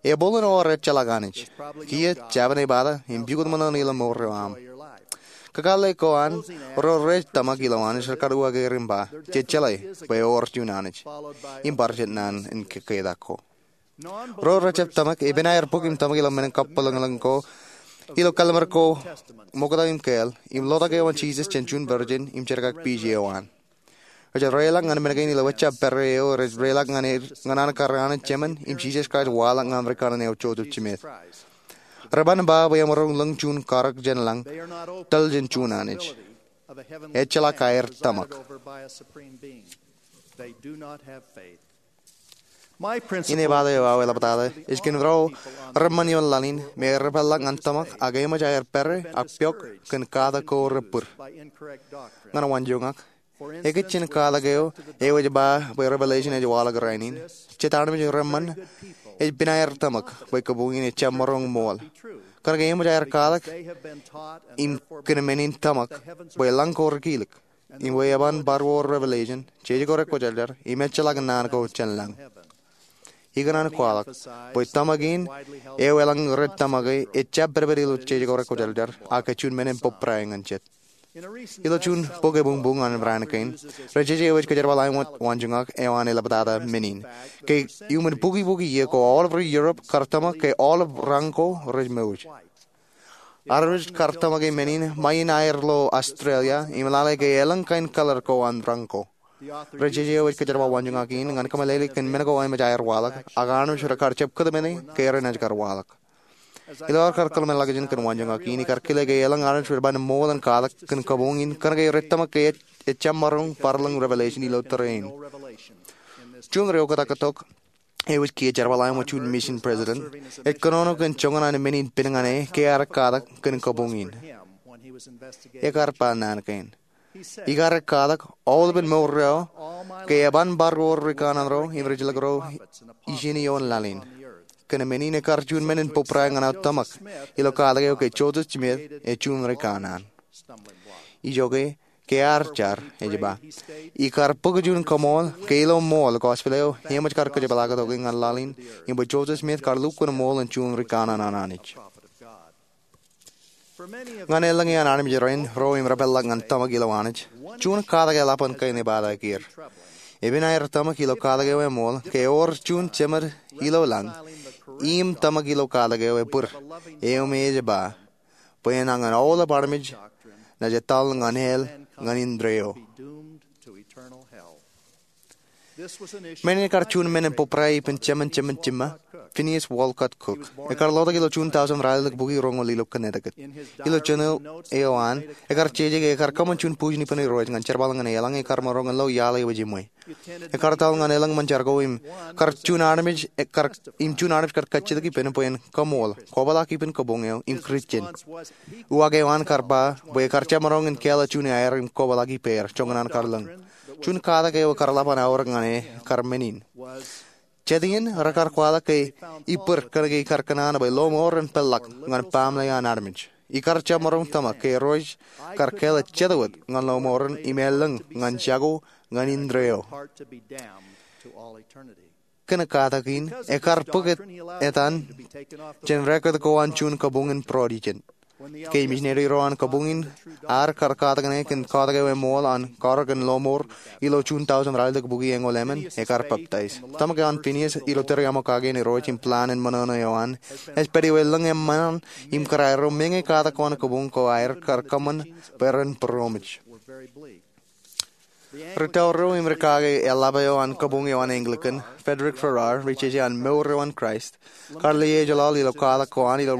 Ebooḷ in ewōr ejjeḷọk Anij. Kiiō jabōn ebata im pukot ṃōṇōṇō ilo mour eo aṃ. Kakōḷḷe ko an ro rej tōmak ilo Anij rekar uwaak er im ba, Jej jeḷā bwe ewōr juon Anij. Im bar jet naan in kōkketak ko. Ro rej jab tōmak epen aer bōk im tōmak ilo men in kabwilōñlōñ ko ilo kallim̧ur ko Ṃokta im Kāāl im lotak eo an Jisōs jān juon virgin im jerkakpeje eo an. Rej reilọk ñan men kein ilo ejjab pere eo rej reilọk ñan an kar Anij Jemān im Jisōs Kraist waḷọk ñan rikanaan eo Joseph Smith. Reban ba bwe emaroñ lōñ juon karōk jān lañ, tōl jān juon Anij. Ejjeḷọk aer tōmak. Inepata eo aō eḷaptata ej kōn ro reṃṃan ioon laḷ in me repeḷḷọk ñan tōmak ak eṃōj aer pere ak piọk kōn katak ko rej bōd ñan waanjoñak. Ekijjien katak eo eo ej ba bwe Revelation ej waḷọk rainin, jet armej reṃṃan ej pen aer tōmak bwe kabuñ in ejjab maroñ ṃool. Kōnke eṃōj aer katak im kōn men in tōmak bwe lañ ko rekilik. Im bwe eban bar wōr Revelation, jeje ko rekwōjarjar, im ejjeḷọk naan ko jān lañ. Ikōṇaan kwaḷọk bwe tōmak in eo elōñ rej tōmak e ejjab pedped ilo jeje ko rekwōjarjar, ak ej juon men in bōbrae ñan jet. Ilo juon bok ebuñbuñ an raan kein, ri-jeje eo ej kōjerbal āinwōt waanjoñak eo an eḷaptata men in. Ke iuṃwin bukwi bukwi iiō ko aolep ri-Europe kar tōmak ke aolep raṇ ko rej mouj. Armej kar tōmak e men in ṃae in aer lo Australia im lale ke elōñ kain color ko an raṇ ko. Ri jeje eo ej kōjerbal waanjoñak in ñan kōmeḷeḷeik kōn men ko eṃōj aer waḷọk, ak armej rej kar jab kōtmāne ke renaaj kar waḷọk. Ilo aer kar kōḷmānḷọkjeṇ kōn waanjoñak in, ikar kile ke eḷaññe armej rej ban ṃool in katak kōn kabuñ in kōnke rej tōmak ke ejjab maroñ barḷọk revelation ilo tōre in. Juon ri oktak tok eo ej kiiō jerbal eo ṃōk juon mission president ej kōnono kōn joñan an men in pen ñan e ke ear katak kōn kabuñ in. Ekar ba naan kein. Ikar katak aolepen mour eo ke eban bar wōr ri kanaan ro im ri jilkinro ijin ioon laḷ in. Kōn men in ekar juon men in pūprae ñan aō tōmak ilo katak eo ke Joseph Smith ej juon ri kanaan. Ijoke, ke ear jar, ej ba, ikar bōk juon kaṃool ke ilo ṃool gospel eo eṃōj kar kōjepḷaaktok ñan laḷ in im bwe Joseph Smith kar lukkuun ṃool in juon ri kanaan an Anij. Ñan elōñ iaan armej rein ro im repeḷḷọk ñan tōmak ilo Anij, juon katak eḷap an kain epatakier. Epen aer tōmak ilo katak eo eṃool ke ewōr juon jemed ilo lañ im tōmak ilo katak eo ebōd eo me ej ba bwe enañin aolep armej naaj etal ñan hell ñan indeeo. Men in ekar juon men in pūprae ippān jemān jemān jiṃṃa, Phineas Walcott Cook. Ekar lotak ilo June tausen ralitōk bukwi roñoul ilo Connecticut. Ilo journal eo an, ekar jeje ke ekar kōṃṃan juon bujen ippān Irooj ñan jerbal ñan eḷaññe ekar maroñ in lo iaḷ eo ejiṃwe. Ekar etal ñan elōñ ṃōn jar ko im kar juon armej, ekar, im juon armej kar kajjitōk ippān bwe en kaṃool, kwōpḷaak ippān kabuñ eo im Kūrjin. Uwaak eo an kar ba bwe ekar jab maroñ in kāālōt juon aer im kwōpḷaak ippāer, joñan an kar lōñ. Juon katak eo ekar ḷap an aorōk ñan e kar men in. Jet iien rekar kwaḷọk ke ibōd kōnke ikar kōṇaan bwe lọmọọr en peḷḷọk ñan baaṃle an armej. Ikar jab maroñ tōmak ke Irooj kar kāālōt jet wōt ñan lọmọọren im elōñ ñan jako ñan indeeo. Kōn katak in, ekar bōk etan jān record ko an juon kabuñ in Protestant. Ke imisoneri ro an kabuñ in ear kar katak ñan e kōn katak eo eṃool an karōk in lọmọọr ilo June tausen ralitōk bukwi eñoul emān, ekar peptaij. Tōmak eo an Phineas ilo tōre aṃokake in Irooj im plan in ṃōṇōṇō eo an ej pād ilo elōñ eṃṃan im kōrā ro meñe katak ko an kabuñ ko aer kar kōṃṃan bwe ren būroṃōj. Ri tōre ro im ri kake eḷap eo an kabuñ eo an Anglican, Frederick Farrar, ri jeje an Mour eo an Kraist, kar lewōj laḷ ilo katak ko an ilo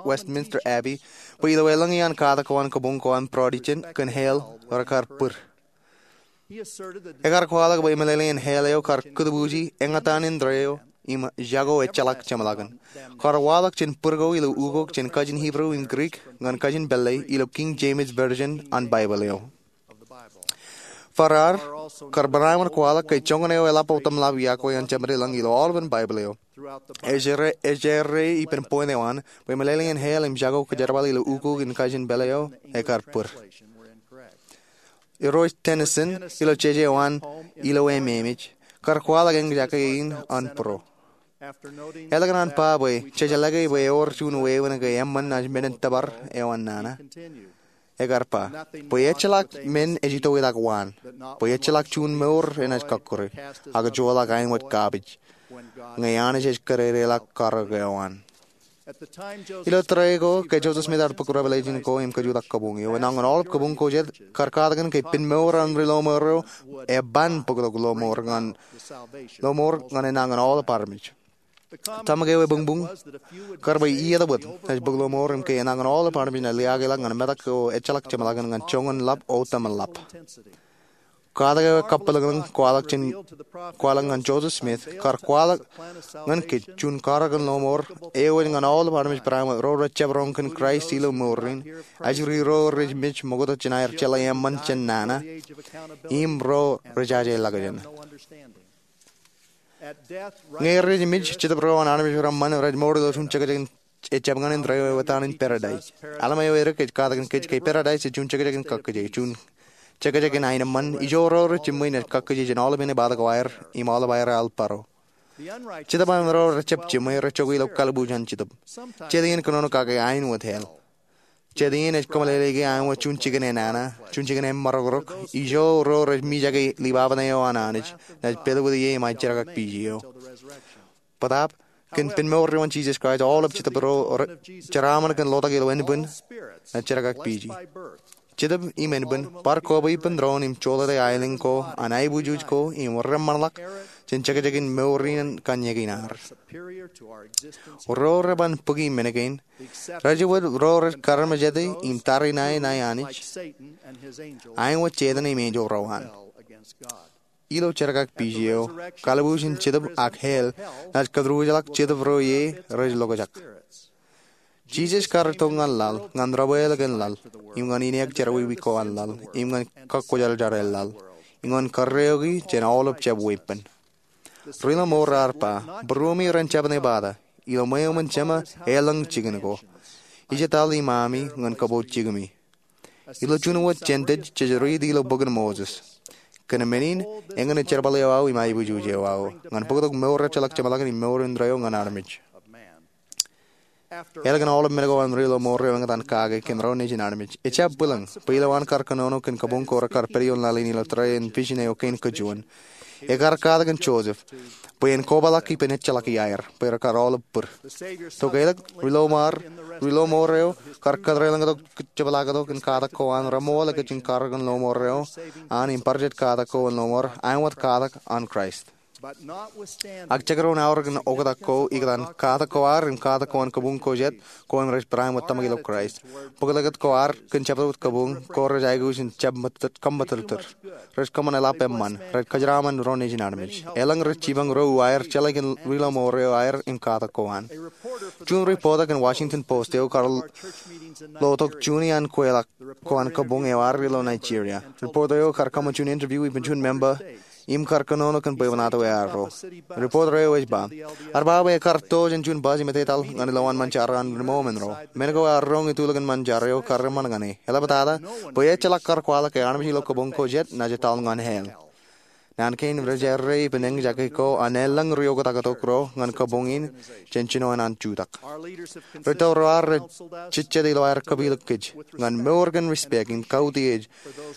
Westminster Abbey bwe ilo elōñ iaan katak ko an kabuñ ko an Protestant kōn hell rekar būd. Ekar kwaḷọk bwe emeḷeḷein hell eo kar kūtbuuji eñtaan indeeo im jako ejjeḷọk jeṃḷọkin. Kar waḷọk jān būd ko ilo ukok jān kajin Hebrew im Greek ñan kajin pālle ilo King James Version an Baibōḷ eo. Farrar kar barāinwōt kwaḷọk ke joñan eo eḷap otemḷap iọkwe an Jemedilōñ ilo aolepen Baibōḷ eo. Ej errā, ej errā ippān point eo an bwe emeḷeḷein hell im jako kōjerbal ilo ukok in kajin pālle eo ekar būd. Irooj Tennyson ilo jeje eo an Ilo Ememej kar kwaḷọk eñjake in an būro. Eḷak an ba bwe jej jeḷā ke bwe ewōr juon wāween ke eṃṃan naaj men in tōpar eo an nana, ekar ba bwe ejjeḷọk men ej itoitak waan, bwe ejjeḷọk juon mour enaaj kọkkure, ak joḷọk āinwōt garbage ñe Anij ej kōdedeḷọk karōk eo an. Ilo tōre ko ke Joseph Smith ear bōk Revelation ko im kajutak kabuñ eo, enañin aolep kabuñ ko jet kar katakin ke pen mour an ri lọmọọr eo eban bōktok lọmọọr ñan, lọmọọr ñan enañin aolep armej. Tōmak eo ebuñbuñ kar bwe iiet wōt ej bōk lọmọọr im ke enañin aolep armej naaj liaakḷọk ñan metak eo ejjeḷọk jeṃḷọkin ñan joñan ḷap otemḷap. Katak eo ekabwilōñlōñ kwaḷọk jān, kwaḷọk ñan Joseph Smith kar kwaḷọk ñan kōj juon karōk in lọmọọr eo ej ñan aolep armej barāinwōt ro rej jab roñ kōn Kraist ilo mour in, ajri ro rej mej ṃokta jān aer jeḷā eṃṃan jān nana im ro rej jaje ḷọkjeṇ. Ñe rej mej, Jetōb ro an armej reṃṃan rej mour ilo juon jekjek in ejjab ñan indeeo eo etan in paradise. Aḷ eo edik ej katakin kōj ke paradise ej juon jekjek in kakkije, juon jekjek in aenōṃṃan, ijo ro rej jiṃwe naaj kakkije jān aolepen ebatok ko aer im aolep aer aḷ baro. Jetōb an ro rej jab jiṃwe rej jokwe ilo kalbuuj an Jetōb. Jet iien kōnono kake aenwōt hell. Jet iien ej kōmeḷeḷeiki aenwōt juon jikin enana, juon jikin emarokrok, ijo ro rej mijake libaban eo an Anij naaj pād wōt ie im aer jerkakpeje eo. Bōtaab, kōn pen mour eo an Jisōs Kraist, aolep jetōb ro jeraaṃṃan kōn lotak ilo ānbwin naaj jerkakpeje. Jetōb im ānbwin bar kobwe ippān doon im jolōte aelōñ ko an aiboojoj ko im reṃṃanḷọk jān jekjekin mour in kōn ñe kein ad. Ro reban bōki men kein, rej wōt ro rej karamājete im tariṇae ṇae Anij, āinwōt Setan im enjeḷ ro an. Ilo jerkakpeje eo, kalbuuj in jetōb ak hell naaj kōtūrjeḷọk jetōb ro ie rej lokjak. Jisōs kar itok ñan laḷ ñan debwāāl kōn laḷ im ñan ineek jerọwiwi ko an laḷ im ñan kọkkwojarjar eo laḷ im ñan kōrreoiki jān aolep jab weeppān. Ri-lọmọọr ear ba būruemi ren jab ṇe bata ilo ṃweo eṃṃan Jema elōñ jikin ko. Ij etal imaami ñan kōpooj jikimi. Ilo juon wōt jān jej riiti ilo bok in Moses, kōn men in eñin jerbal eo aō im aiboojoj eo aō ñan bōktok mour ejjeḷọk jeṃḷọkin im mour indeeo ñan armej. Ālikin aolep men ko an ri-lọmọọr eo eñtaan kake kōn ro nejin armej, ejab bwilōñ bwe ilowaan kar kōnono kōn kabuñ ko rekar pād ioon laḷ in ilo tōre in vision eo kein kajuon, ekar katak kōn Joseph bwe en kobaḷọk ippān ejjeḷọk iaer bwe rekar aolep bōd. Tok ālikin ri-lọmọọr, ri-lọmọọr eo kar kōttar elōñ tok jepḷaak tok in katak ko an reṃool ekōjin karōk in lọmọọr eo an im bar jet katak ko an lọmọọr āinwōt katak an Kraist. Ak jekdọọn aorōk in oktak ko ikōtaan katak ko ad im katak ko an kabuñ ko jet ko im rej bareinwōt tōmak ilo Kraist, bōklōkōt ko ad kōn jabdewōt kabuñ ko rej aikuj in jab kōṃṃan eḷap eṃṃan, rej kōjeraaṃṃan ro nejin armej. Elōñ rej jipañ ro aer jeḷā kōn ri-lọmọọr eo aer im katak ko an. Juon ripota kōn Washington Post eo kar lo tok juon iaan kweilọk ko an kabuñ eo ad ilo Nigeria. Ripota eo kar kōṃṃan juon interview ippān juon memba im kar kōnono kōn bwebwenato eo arro. Ripota eo ej ba, ear ba bwe ekar to jān juon bus im etetal ñan ilowaan ṃōn jar an rimoṃro. Men ko ear roñ itulōk in ṃōn jar eo kar eṃṃan ñan e. Eḷaptata bwe ejjeḷọk kar kwaḷọk ke armej ilo kabuñ ko jet naaj etal ñan hell. Naan kein rej errā ippān eñjake ko an elōñ ri-oktak tok ro ñan kabuñ in jān jinoin an jutak. Ri-tōl ro ad rej jejjet ilo aer kapilōk kōj ñan mour kōn respect im kautiej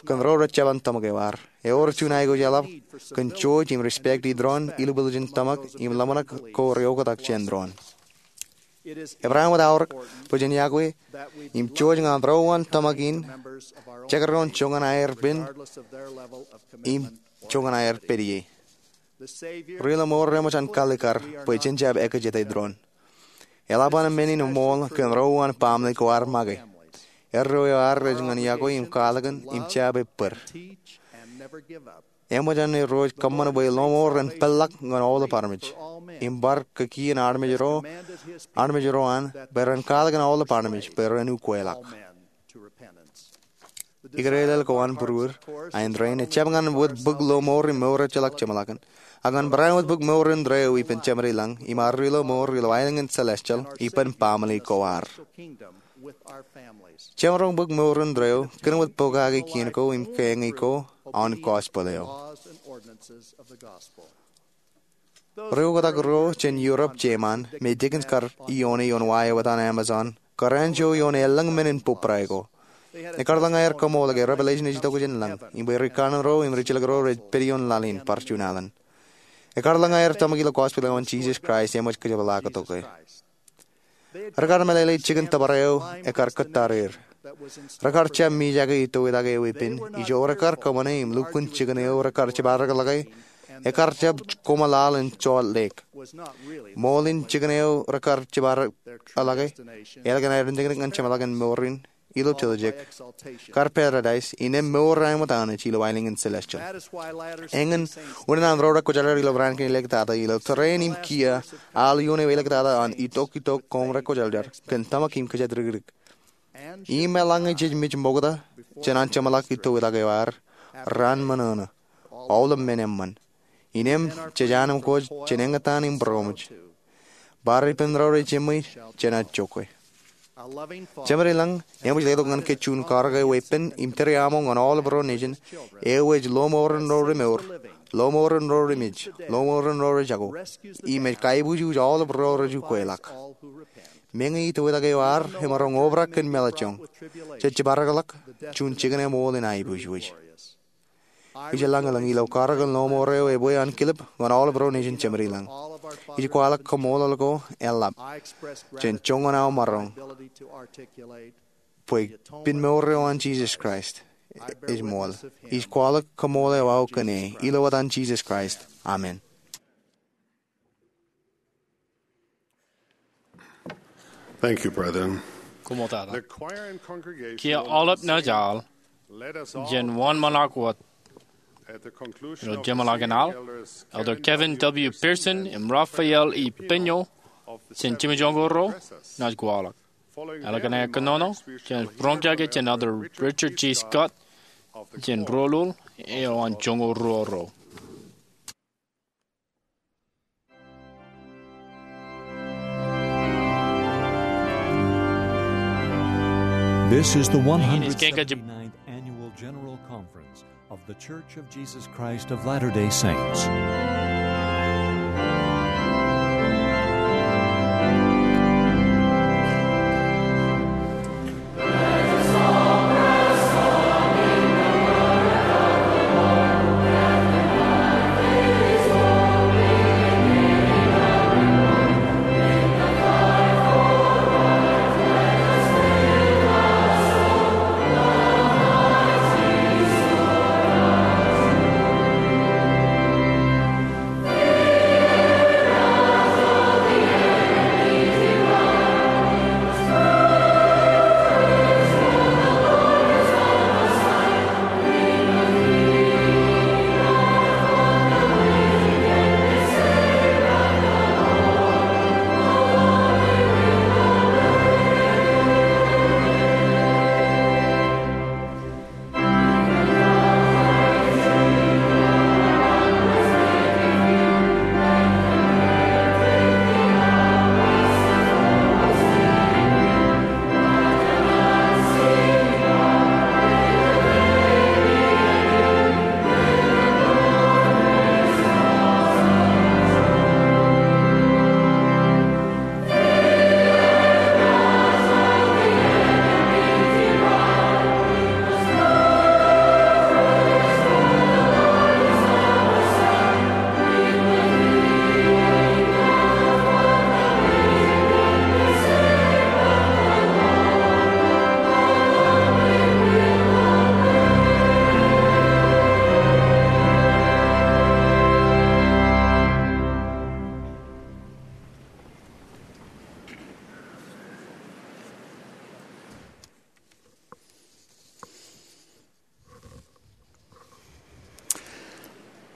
kōn ro rej jeban tōmak eo ad. Ewōr juon aikuj eḷap kōn jouj im respect eo doon ilubwiljin tōmak im ḷōmṇak ko ri-oktak jān doon. Ebareinwōt aorōk bwe jen iakwe im jouj ñan ro an tōmak in jekdọọn joñan aer pen im joñan aer pād ie. Ri-lọmọọr eṃōj an kaalikkar bwe jen jab ekjete doon. Eḷap an men in eṃool kōn ro an baaṃle ko ad make. Erreo eo ad rej ñan iakwe im kwaḷọk in im jab ebbōd. Eṃōj an erro ej kōṃṃan bwe lọmọọr en peḷḷọk ñan aolep armej im bar kaki in armej ro an bwe ren kwaḷọk in aolep armej bwe ren ukweḷọk. Ikōṇaan ko an būruod, āindein ejjab ñan wōt bōk lọmọọr im mour ejjeḷọk jeṃḷọkin, ak ñan bareinwōt bōk mour indeeo ippān Jemān ilañ im ad ri-lọmọọr ilo aelōñ in celestial ippān baaṃle ko ad. Jemaroñ bōk mour indeeo kōn wōt pokake kien ko im keeñe ko an gospel eo. Ri-oktak ro jān Europe, Jemān me Dickens kar ioone ioon wa eo etan Amazon kar anjọ ioon elōñ men in bōbrae ko. Ekar lōñ aer kaṃool ke Revelation ej itok jān lañ im bwe ri-kanaan ro im ri-jilkinro rej pād ioon laḷ in bar juon alen. Ekar lōñ aer tōmak ilo gospel eo an Jisōs Kraist eṃōj kōjepḷaaktok e. Rekar meḷeḷe jikin tōpar eo ekar kōttar er. Rekar jab mijake itoitak e weeppān ijo rekar kōṃṃane im lukkuun jikin eo rekar jiparok ḷọke ekar jab koṃ laḷ in Salt Lake. Ṃool in jikin eo rekar jiparok ḷọke, ālikin aer dikdik ñan jeṃḷọkin mour in ilo tiljek, kar paradise, innem mour eo āinwōt Anij ilo aelōñ in celestial. Eñin unin an ro rekwōjarjar ilo raan kein āliktata ilo tōre in im kiiō, al ioon eo āliktata an itok itok koṃ rekwōjarjar kōn tōmak im kōjatdikdik. Im eḷaññe jej mej ṃokta jān an jeṃḷọk itoitak eo ad, raan ṃōṇōṇō, aolep men eṃṃan, innem jej anemkwōj jān eñtaan im būroṃōj. Bar ippān ro rej jiṃwe jenaaj jokwe. Jemān ilañ eṃōj letok ñan kōj juon karōk eo weeppān im tōre aṃo ñan aolep ro nejin, eo ej lọmọọren ro remour, lọmọọren ro remej, lọmọọren ro rejako, im ej kaibujuj aolep ro rej ukweḷọk. Meñe itoitak eo ad emaroñ obrak kōn meḷọkjeṇ, jej jiparok ḷọk juon jikin eṃool in aiboojoj. Ij lañ ilañ ilo karōk in lọmọọr eo ebwe an kilip ñan aolep ro nejin Jemān ilañ. Ij kwaḷọk kaṃṃoolol ko eḷap jān joñan aō maroñ bwe pinmour eo an Jisōs Kraist ej ṃool. Ij kwaḷọk kaṃṃool eo aō kōn e, ilo etan Jisōs Kraist, amen. Thank you, brethren. Koṃṃool tata. Kiiō aolep naaj al, jen wōnṃaanḷọk wōt ilo jeṃḷọkin al. Elder Kevin W. Pearson im Raphael E. Peño jān jimjuonñoul ro naaj kwaḷọk. Ālikin aō kōnono, jen roñjake jān Elder Richard G. Scott jān Rōlul eo an joñoul ruo ro. This is the one hundred seventy-ninth Annual General Conference of The Church of Jesus Christ of Latter-day Saints.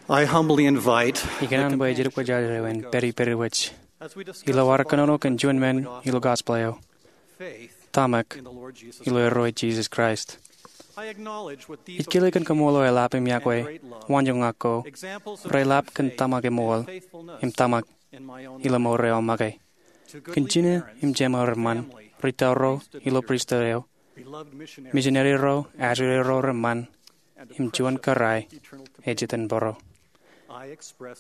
I humbly invite Ikōṇaan bwe ej itok wōj eo en pād ippād wōj ilo ad kōnono kōn juon men ilo gospel eo, tōmak ilo Irooj Jisōs Kraist. Ij kile kōn kaṃṃoolol eḷap im yokwe waanjoñak ko reḷap kōn tōmak eṃool im tōmak ilo mour eo aō make. Kōn jine im jemāer reṃṃan, ri-tōl ro ilo pristut eo, misineri ro, ajri ro reṃṃan, im juon kōrā ej itōn bōro,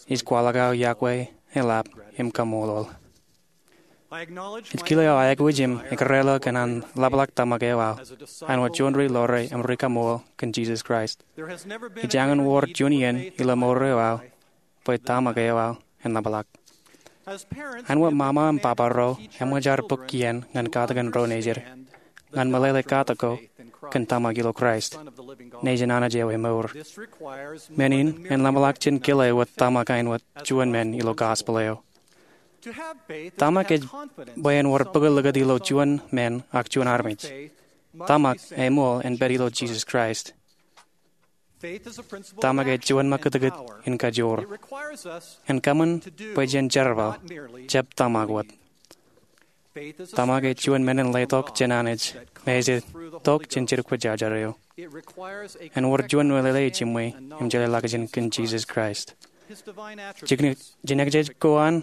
ij kwaḷọk aō yokwe, eḷap im kaṃṃoolol. Ij kile aō aikuj im ekōrā ḷọk kōn an ḷapḷọk tōmak eo aō āinwōt juon ri-lore im ri-kaṃṃoolol kōn Jisōs Kraist. Ejañin wōr juon iien ilo mour eo aō bwe tōmak eo aō en ḷapḷọk. Āinwōt ṃaṃa im baba ro eṃōj ad bōk kien ñan katakin ro nejid, ñan meḷeḷe katak ko kōn tōmak ilo Kraist, Nejin Anij eo emour. Men in en ḷapḷọk jān kile wōt tōmak āinwōt juon men ilo gospel eo. Tōmak ej bwe en wōr bōklōkōt ilo juon men ak juon armej. Tōmak eṃool en pād ilo Jisōs Kraist. Tōmak ej juon ṃakūtkūt in kajoor. En kōṃṃan bwe jen jerbal, jab tōmak wōt. Tōmak ej juon men in letok jān Anij, me ej itok jān jidik kwōjarjar eo. En wōr juon meḷeḷe ejiṃwe im jeḷāḷọkjeṇ kōn Jisōs Kraist, jinōkjeik ko an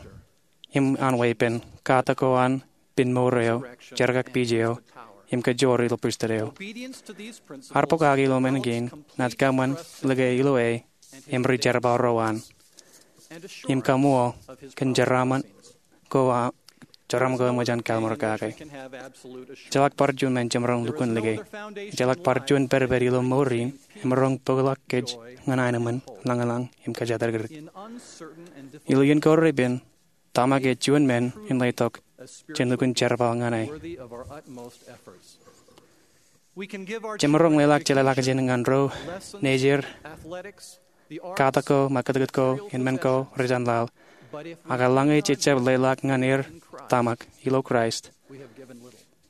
im an weeppān, katak ko an, pinmour eo, jerkakpeje eo, im kajoor ilo pristut eo. Ad bōk kake ilo men kein naaj kōṃṃan like ilo e im ri-jerbal ro an, im kaṃṃool kōn jeraaṃṃan ko, jeraaṃṃan ko eṃōj an kalliṃur kake. Ejjeḷọk bar juon men jemaroñ lukkuun like. Ejjeḷọk bar juon pedped ilo mour in emaroñ bōkḷọk kōj ñan aenōṃṃan, lañlōñ, im kōjatdikdik. Ilo iien ko repen, tōmak ej juon men in letok jān lukkuun jerbal ñan e. Jemaroñ leḷọk jeḷāḷọkjeṇ ñan ro nejū, katak ko, im kūtkūt ko, im men ko rej jān laḷ. Ak eḷaññe jej jab leḷọk ñan er tōmak ilo Kraist,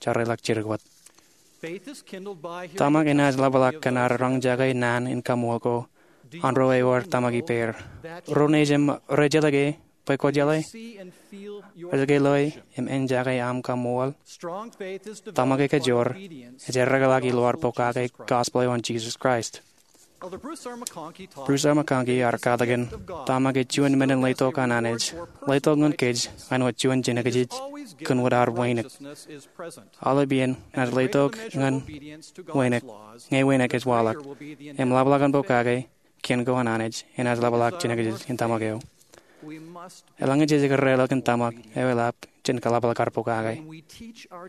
jeḷāḷọkjeṇ wōt. Tōmak enaaj ḷapḷọk kōn ad roñjake naan in kaṃṃool ko an ro ewōr tōmak ippāer. Ro nejū rej jeḷā ke bwe kwō jeḷā, rej ke loe im enjake aṃ kaṃṃool. Tōmak ekajoor ej erreḷọk ilo ad pokake gospel eo an Jisōs Kraist. Bruce R. McConkie ear katakin, tōmak ej juon men in letok an Anij, letok ñan kōj āinwōt juon jinōkjeej kōn wōt ad wānōk. Aolep iien enaaj letok ñan wānōk, ñe wānōk ej waḷọk, im ḷapḷọk an pokake kien ko an Anij enaaj ḷapḷọk jinōkjeej in tōmak eo. Eḷaññe jej kōrreḷọk in tōmak eo eḷap, jen kōḷapḷọk ad pokake.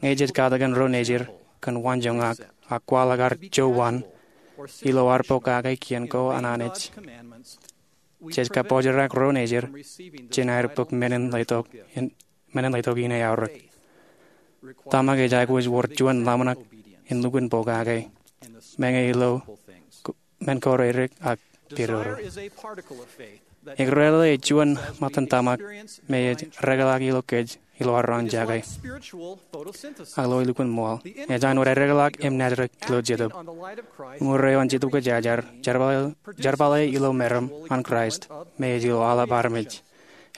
Ñe jej katakin ro nejū kōn waanjoñak ak kwaḷọk ad jowaan ilo ad pokake kien ko an Anij, jej kabōjrak ro nejū jān aer bōk men in letok in men in letok in eaorōk. Tōmak ej aikuj wōr juon ḷōmṇak in lukkuun pokake, meñe ilo men ko reirek ak pidodo. Ekōrreḷe ej juon ṃōttan tōmak me ej erreḷọk ilo kōj ilo ad roñjake ak ilo lukkuun ṃool. Ej āinwōt erreḷọk im nātrōk ilo Jetōb. Uñūr eo an Jetōb Kwōjarjar, jerbale ilo meram an Kraist me ej ilo aolep armej.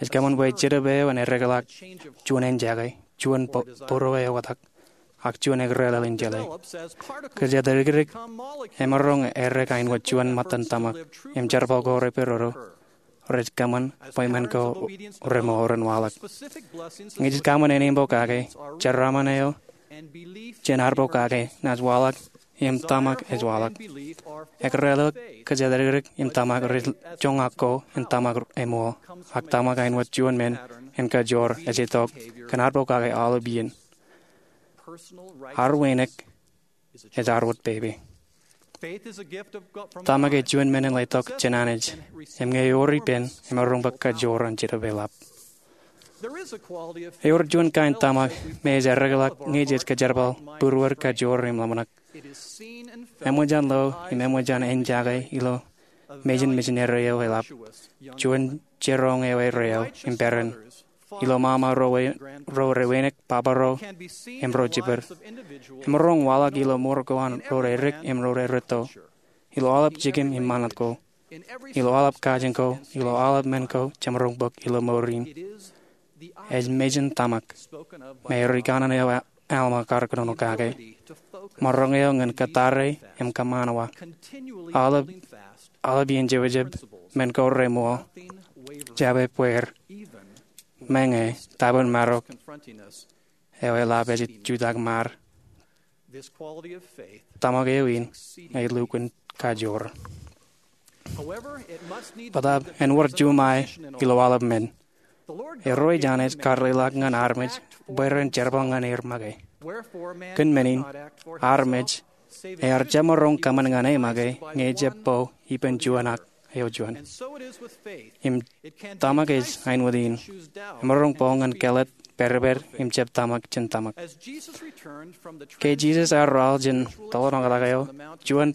Ej kōṃṃan bwe Jetōb eo en erreḷọk juon enjake, juon būruō eo atak, ak juon ekōrreḷọk in jeḷā. Kōjatdikdik emaroñ errek āinwōt juon ṃōttan tōmak, im jerbal ko repidodo rej kōṃṃan bwe men ko remour in waḷọk. Ñe jej kōṃṃan āne im pokake, jeraaṃṃan eo jān ad pokake enaaj waḷọk im tōmak ej waḷọk. Ekōrreḷọk, kōjatdikdik im tōmak rej joñak ko in tōmak eṃool, ak tōmak āinwōt juon men in kajoor ej itok kōn ad pokake aolep iien. Ad wānōk ej ad wōt pepe. Tōmak ej juon men in letok jān Anij, im ñe ewōr ippān, emaroñ bwe kajoor an Jetōb eḷap. Ewōr juon kain tōmak me ej erreḷọk ñe jej kōjerbal būruod kajoor im ḷōmṇak. Eṃōj an lo im eṃōj an enjake ilo mejān misineri eo eḷap, juon jiroñ eo erreo im peran, ilo ṃaṃa ro re wānōk, papa ro, im ro jiped. Emaroñ waḷọk ilo mour ko an ro reirek im ro rerūtto, ilo aolep jikin im ṃanit ko, ilo aolep kajin ko, ilo aolep men ko jemaroñ bōk ilo mour in. Ej mejān tōmak me ri kanaan eo Alma kar kōnono kake. Maroñ eo ñan kōttar im kōṃṃan wa. Aolep, aolep iien jebjeb, men ko remour, jab ebbeer, meñe tōpar marok eo eḷap ej jutak ṃaad. Tōmak eo in ej lukkuun kajoor. Bōtaab en wōr juṃae ilo aolep men. Irooj Anij kar leḷọk ñan armej bwe ren jerbal ñan er make. Kōn men in, armej ear jemaroñ kōṃṃan ñan e make ñe ejab bo ippān juon ak eo juon. Im tōmak ej āinwōt in. Emaroñ bo ñan kāālōt, pedped, im jab tōmak jān tōmak. Ke Jisōs ear ralitōk jān tōḷ ṇakḷọk eo, juon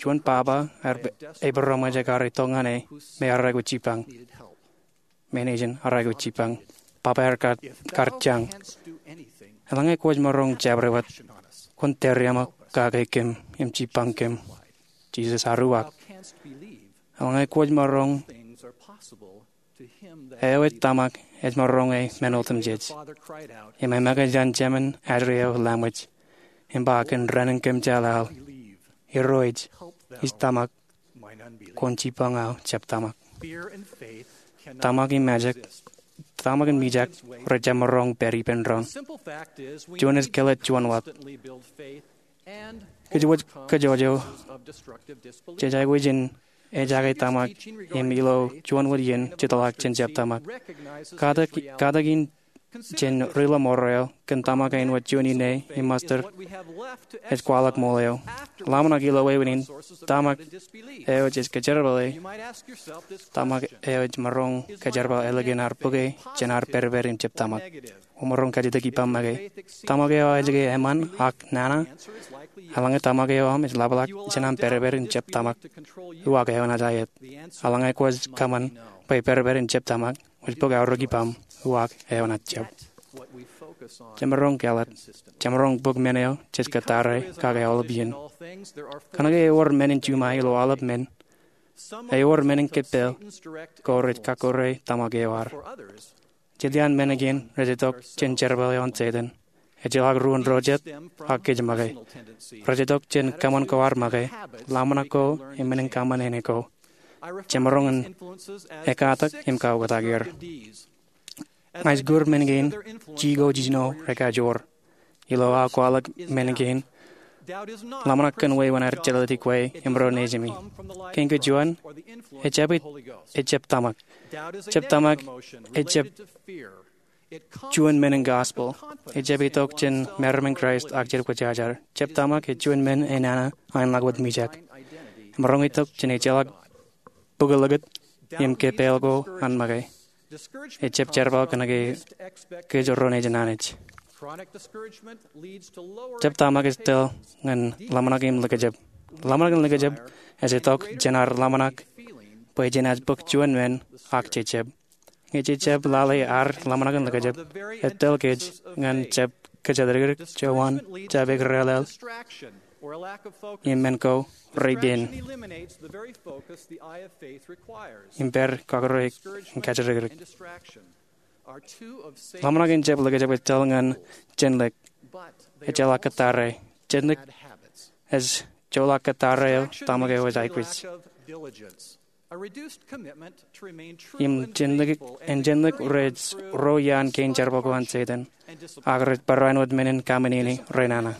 juon papa ear epiroṃōj ekar itok ñan e me ear aikuj jipañ. Menin ear aikuj jipañ. Papa ear kar jañ, eḷaññe kwōj maroñ jabdewōt, kwōn tōre aṃ kake kōm im jipañ kōm. Jisōs ear uwaak, eḷaññe kwōj maroñ, eo ej tōmak ej maroñ e men otemjej. Im e make jān Jemān ajri eo laṃōj, im ba kōn raan in kōm jeḷāḷọk, Irooj, ij tōmak, kwōn jipañ aō jab tōmak. Tōmak im mijak, tōmak im mijak rej jemaroñ pād ippān doon. Juon ej kāālōt juon wōt. Kōj wōj kōjwōj eo, jej aikuj in ejake tōmak im ilo juon wōt iien jetōḷọk jān jab tōmak. Katak in jān ri-ḷōṃaro eo kōn tōmak eo in wōt juon ine im mustard ej kwaḷọk ṃool eo. Ḷōmṇak ilo wāween in, tōmak eo jej kōjerbale, tōmak eo ej maroñ kōjerbal ālikin ad bōke jān ad pedped im jab tōmak. Emaroñ kajjitōk ippaṃ make. Tōmak eo ej ke eṃṃan ak nana? Eḷaññe tōmak eo aṃ ej ḷapḷọk jān aṃ pedped im jab tōmak, uwaak eo enaaj aet. Eḷaññe kwōj kōṃṃan bwe pedped im jab tōmak, kwōj bōk aorōk ippaṃ, uwaak eo enaaj jab. Jemaroñ kālet, jemaroñ bōk men eo jej kōttar e kake aolep iien. Kōnke ewōr men in juṃae ilo aolep men, ewōr men in kōppel ko rej kakkure tōmak eo ad. Jiljino men kein rej itok jān jerbal eo an Setan. Ejjeḷọk ruo ro jet ak kōj make. Rej itok jān kōṃṃan ko ad make, ḷōmṇak ko im men in kōṃṃan eo ko. Jemaroñ in ekkatak im kaoktak er. Ña ij kūr men kein jiko jiljino rekajoor. Ilo aō kwaḷọk men kein, ḷōmṇak kōn wāween ad jelōt ikwe im ro nejimi. Kein kein juon, ejjab, ejjab tōmak. Jab tōmak ejjab juon men in gospel. Ejjab itok jān meram in Kraist ak jab kwōjarjar. Jab tōmak ej juon men enana an ḷak wōt mijak. Emaroñ itok jān ejjeḷọk bōklōkōt im kōppel ko an make. Ejjab jerbal kōnke kōj ro nejin Anij. Jab tōmak ej tōl ñan ḷōmṇak im likjab. Ḷōmṇak im likjab ej itok jān ad ḷōmṇak bwe jenaaj bōk juon men ak jejjab. Ñe jejjab lale ad ḷōmṇak im likjab, ej tōl kōj ñan jab kōjatdikdik, jowan, jab ekrelel, im men ko reipen im pād kọkkure in kōjatdikdik. Ḷōmṇak in jab likjab ej tōl ñan jenlik. Ejjeḷọk kōttar e. Jenlik ej joḷọk kōttar eo tōmak eo ej aikuj. Im jenlik, im jenlik rej ro iaan kein jerbal ko an Setan, ak rej barāinwōt men in kaṃōṇōṇō renana.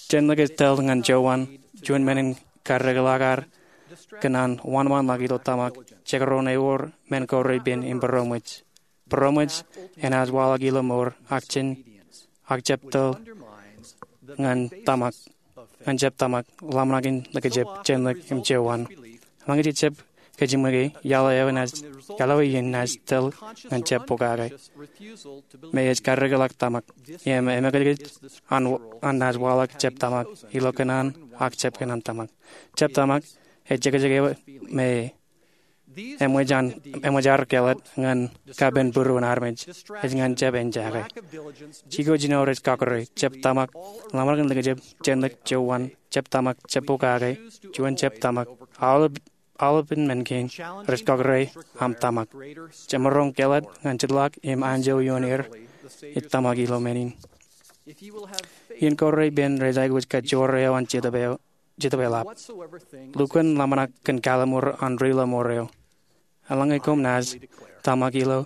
Jenlik ej tōl ñan jowan, juon men in kaddekḷọk ad kōn an wōnṃaanḷọk ilo tōmak, jekdọọn ewōr men ko reipen im būroṃōj. Būroṃōj enaaj waḷọk ilo mour, ak jān, ak jab tōl ñan tōmak, ñan jab tōmak, ḷōmṇak in likjab, jenlik im jowan. Eḷaññe jejjab kōjimwiki, iaḷ eo enaaj, iaḷ eo enaaj tōl ñan jab pokake. Me ej kaddekḷọk tōmak. Im emekijkij an, an naaj waḷọk jab tōmak, ilo kōṇaan ak jab kōṇaan tōmak. Jab tōmak ej jekjek eo me eṃōj an, eṃōj ad kālet ñan kapen būruon armej, ej ñan jab ejjake. Jiko jiljino rej kọkkure, jab tōmak, ḷōmṇak in likjab, jenlik, jowan, jab tōmak, jab pokake, juon jab tōmak, aolep, aolepān men kein rej kọkkure aṃ tōmak. Jemaroñ kālet ñan jitḷọk im anjọ ioon er ej tōmak ilo men in. Iien ko reipen rej aikuj kajoor eo an Jetōb eo, Jetōb eḷap. Lukkuun ḷōmṇak kōn kalliṃur an ri-ḷōṃaro eo. Eḷaññe koṃ naaj tōmak ilo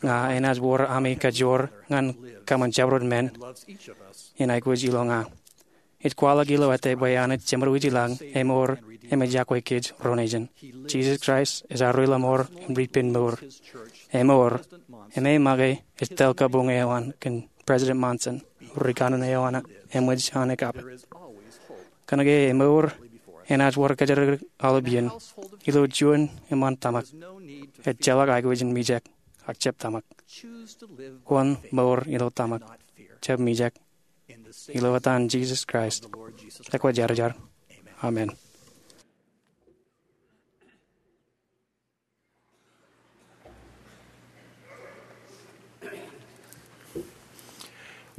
ña, enaaj wōr ami kajoor ñan kōṃṃan jabdewōt men in aikuj ilo ña. Ij kwaḷọk ilo ete bwe Anij Jemedwōj ilañ emour im ej yokwe kōj ro nejin. Jisōs Kraist ej ad ri-ḷōṃaro im ri-penmour. Emour, im e make ej tōl kabuñ eo an kōn President Monson, ri kanaan eo an eṃōj an ekapit. Kōnke emour enaaj wōr kōjatdikdik aolep iien. Ilo juon eṃṃan tōmak, ejjeḷọk aikuj in mijak ak jab tōmak. Wōn mour ilo tōmak, jab mijak. Ilo etan Jisōs Kraist, ekwōjarjar. Amen.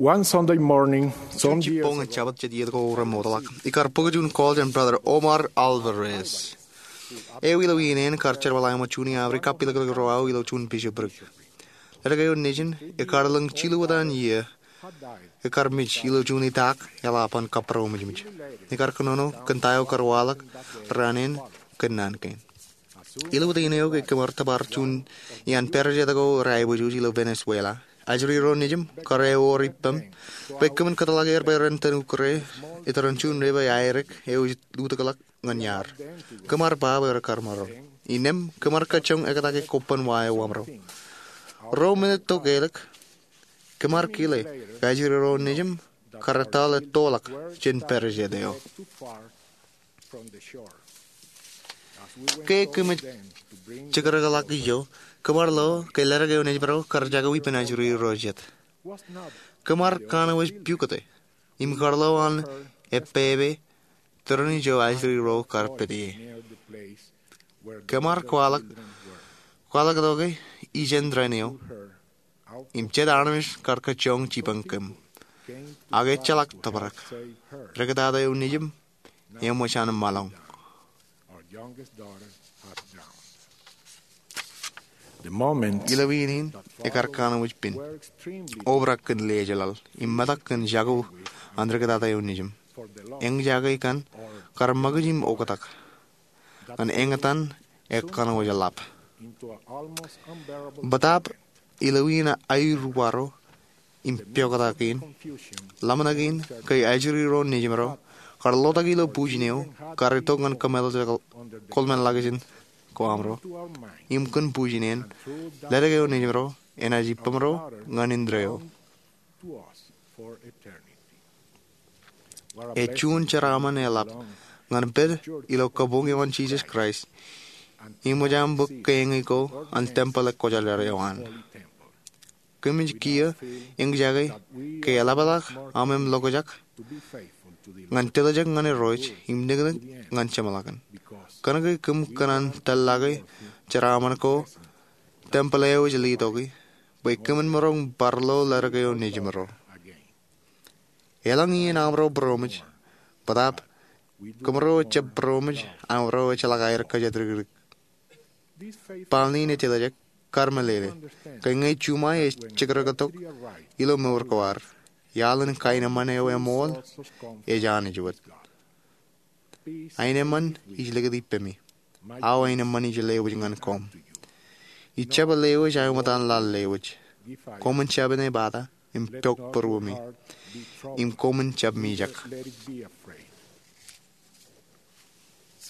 One Sunday morning, juon jibboñ in Jabōt jet iiō ko remootḷọk, ikar bōk juon call jān Brother Omar Alvarez. Eo ilo iien in kar jerbal aṃ juon iiō aō ri kapilōklōk ro aō ilo juon bishopric. Ledik eo nejin ekar lōñ jilu etan iiō, ekar mej ilo juon itak eḷap an kabūroṃōjmōj. Ekar kōnono kōn ta eo kar waḷọk raan in kōn naan kein. Ilo iien eo ke kōm ar tōpar juon iaan pād jet ko rej aiboojoj ilo Venezuela, ajri ro nejin kar ewōr ippaṃ bwe kōmin kōtḷọk er bwe ren tōn ukkure iturin juon river eo aerōk eo ej lutōkḷọk ñan iaar. Kōm ar ba bwe rekar maroñ. Innām kōm ar kajjoñ ektake kobban wa eo waṃro. Ruo minit tok elōñ, kōm ar kile ke ajri ro nejūṃ kar ettoḷọk jān pād jet eo. Ke kōmij jikrōkḷọk ijo, kōm ar lo ke ledik eo nejūṃ ro kar jako ippān ajri ro jet. Kōm ar kanooj pukot e im kar lo an epepe tūrin ijo ajri ro kar pād ie. Kōm ar kwaḷọk, kwaḷọk tok e ijeṇ tōren eo im jet armej kar kajjoñ jipañ kōm. Ak ejjeḷọk tōprak. Rūkutata eo nejūṃ eṃōj an ṃaḷoñ. Ilo iien in, ekar kanooj pen obrak kōn lejeḷaḷ im metak kōn jako an rūkutata eo nejūṃ. Eñjake kaṇ kar ṃakūtkūt im oktak ñan eñtaan ekkanooj ḷap. Bōtaab ilo iien aeruwaro im pioktak in, ḷōmṇak in ke ajri ro nejūṃ ro kar lotak ilo bujen eo kar itok ñan kōmeḷeḷe kōḷmānḷọkjeṇ ko aṃ ro. Im kōn bujen in, ledik eo nejūṃ ro enaaj ippamro ñan indeeo. Ej juon jeraaṃṃan eḷap ñan pād ilo kabuñ eo an Jisōs Kraist im ṃōj aṃ bōk keeñe ko an tempel ekwōjarjar eo an. Kōmij kiiō eñjake ke eḷapḷọk aṃ im lokjak ñan tiljek ñan Irooj im niknik ñan jeṃḷọkin. Kōnke kōm kōṇaan tōllọke jeraaṃṃan ko tempel eo ej letoki bwe kōmin maroñ bar lo ledik eo nejūṃ ro. Elōñ iien aṃro būroṃōj, bōtaab kōmro ejjab būroṃōj, aṃro ejjeḷọk aer kōjatdikdik. Baaṃle in ej tiljek kar meḷeḷe ke ñe juṃae ej jikrōktok ilo mour ko ad, iaḷ in kaenōṃṃan eo eṃool ej Anij wōt. Aenōṃṃan ij likūt ippemi. Aō aenōṃṃan ij lewōj ñan koṃ. Ij jab lewōj aō ṃōttan laḷ lewōj. Koṃwin jab inepata im pok būruemi. Im koṃwin jab mijak.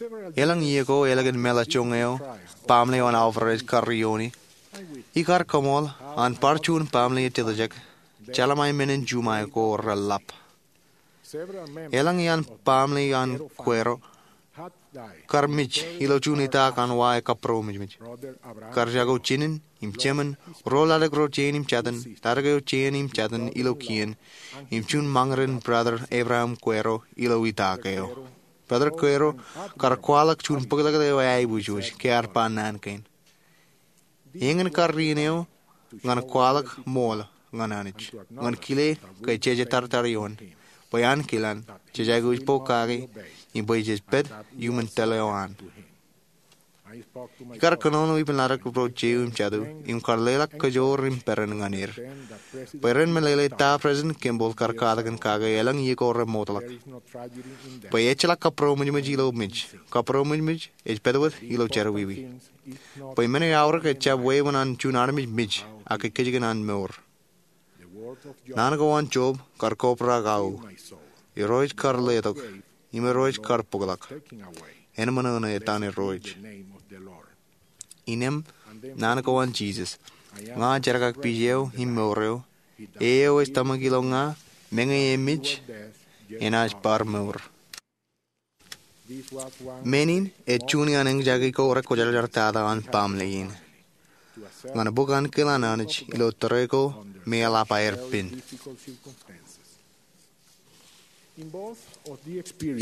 Elōñ iiō ko, elōñ in meḷọkjeṇ eo baaṃle eo an Alvarez kar iiooni, ikar kaṃool an bar juon baaṃle ej tiljek, jeḷā men in juṃae ko reḷap. Elōñ iaan baaṃle an Guerrero kar mej ilo juon itaak an wa ekkabūroṃōjmōj. Kar jako jinen im jemān, ro ledik ro jein im jatin, ledik eo jein im jatin ilo kien, im juon ṃañūrin Brother Abraham Guerrero ilo itaak eo. Brother Guerrero kar kwaḷọk juon bōklōklōk eo aebujbōj ke ear ba naan kein. Eñin karrien eo ñan kwaḷọk ṃool ñan Anij, ñan kile ke jeje taritar ioon, bwe ankilaan jej aikuj pokake im bwe jej pād iuṃwin tōl eo an. Ikar kōnono ippān ledik ro jeiū im jatū im kar leḷọk kōjoor im peran ñan er bwe ren meḷeḷe ta President Kimball kar katakin kake elōñ iiō ko remootḷọk. Bwe ejjeḷọk kabūroṃōjmōj ilo mej, kabūroṃōjmōj ej pād wōt ilo jerọwiwi. Bwe men eo aorōk ejjab wāween an juon armej mej, ak kajjitōk an mour. Naan ko an Job kar kobrak aō, Irooj kar letok, im Irooj kar bōkḷọk. Eṃṃan etan Irooj. Innām naan ko an Jisōs, ña jerkakpij eo im mour eo, e eo ej tōmak ilo ña, meñe emej, enaaj bar mour. Men in ej juon iaan eñjake ko rekwōjarjar tata an baaṃle in ñan bōk ankilaan Anij ilo tōre ko me eḷap aer pen.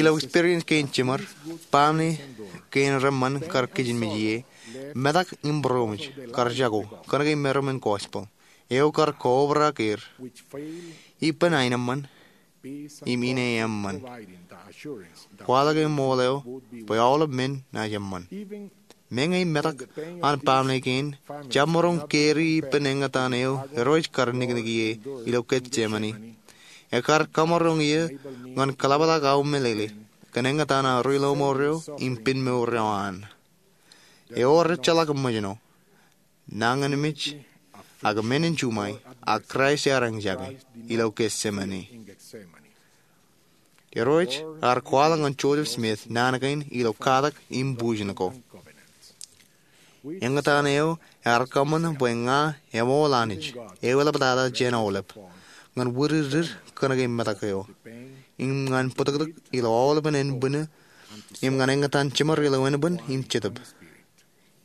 Ilo experience kein jiṃor, baaṃle kein reṃṃan kar kijenmej ie, metak im būroṃōj kar jako kōnke meram in gospel eo kar kobrak er ippān aenōṃṃan im ineeṃṃan. Kwaḷọk eṃool eo bwe aolep men enaaj eṃṃan. Meñe metak an baaṃle kein jab maroñ keri ippān eñtaan eo Irooj kar niknik ie ilo Getsemane, ekar kamaroñ iiō ñan kōḷapḷọk aō meḷeḷe kōn eñtaan aō ri lọmọọr eo im pen mour eo an. Ewōr ejjeḷọk ṃōjṇọ, nañinmej, ak men in juṃae, ak Kraist ear eñjake ilo Getsemane. Irooj ear kwaḷọk ñan Joseph Smith naan kein ilo katak im bujen ko. Eñtaan eo ear kōṃṃan bwe ña eṃool Anij eo eḷaptata jān aolep ñan wūdiddid kōnke metak eo im ñan bōtōktōk ilo aolepen ānbwinnū im ñan eñtaan jiṃor ilo ānbwin im jetōb.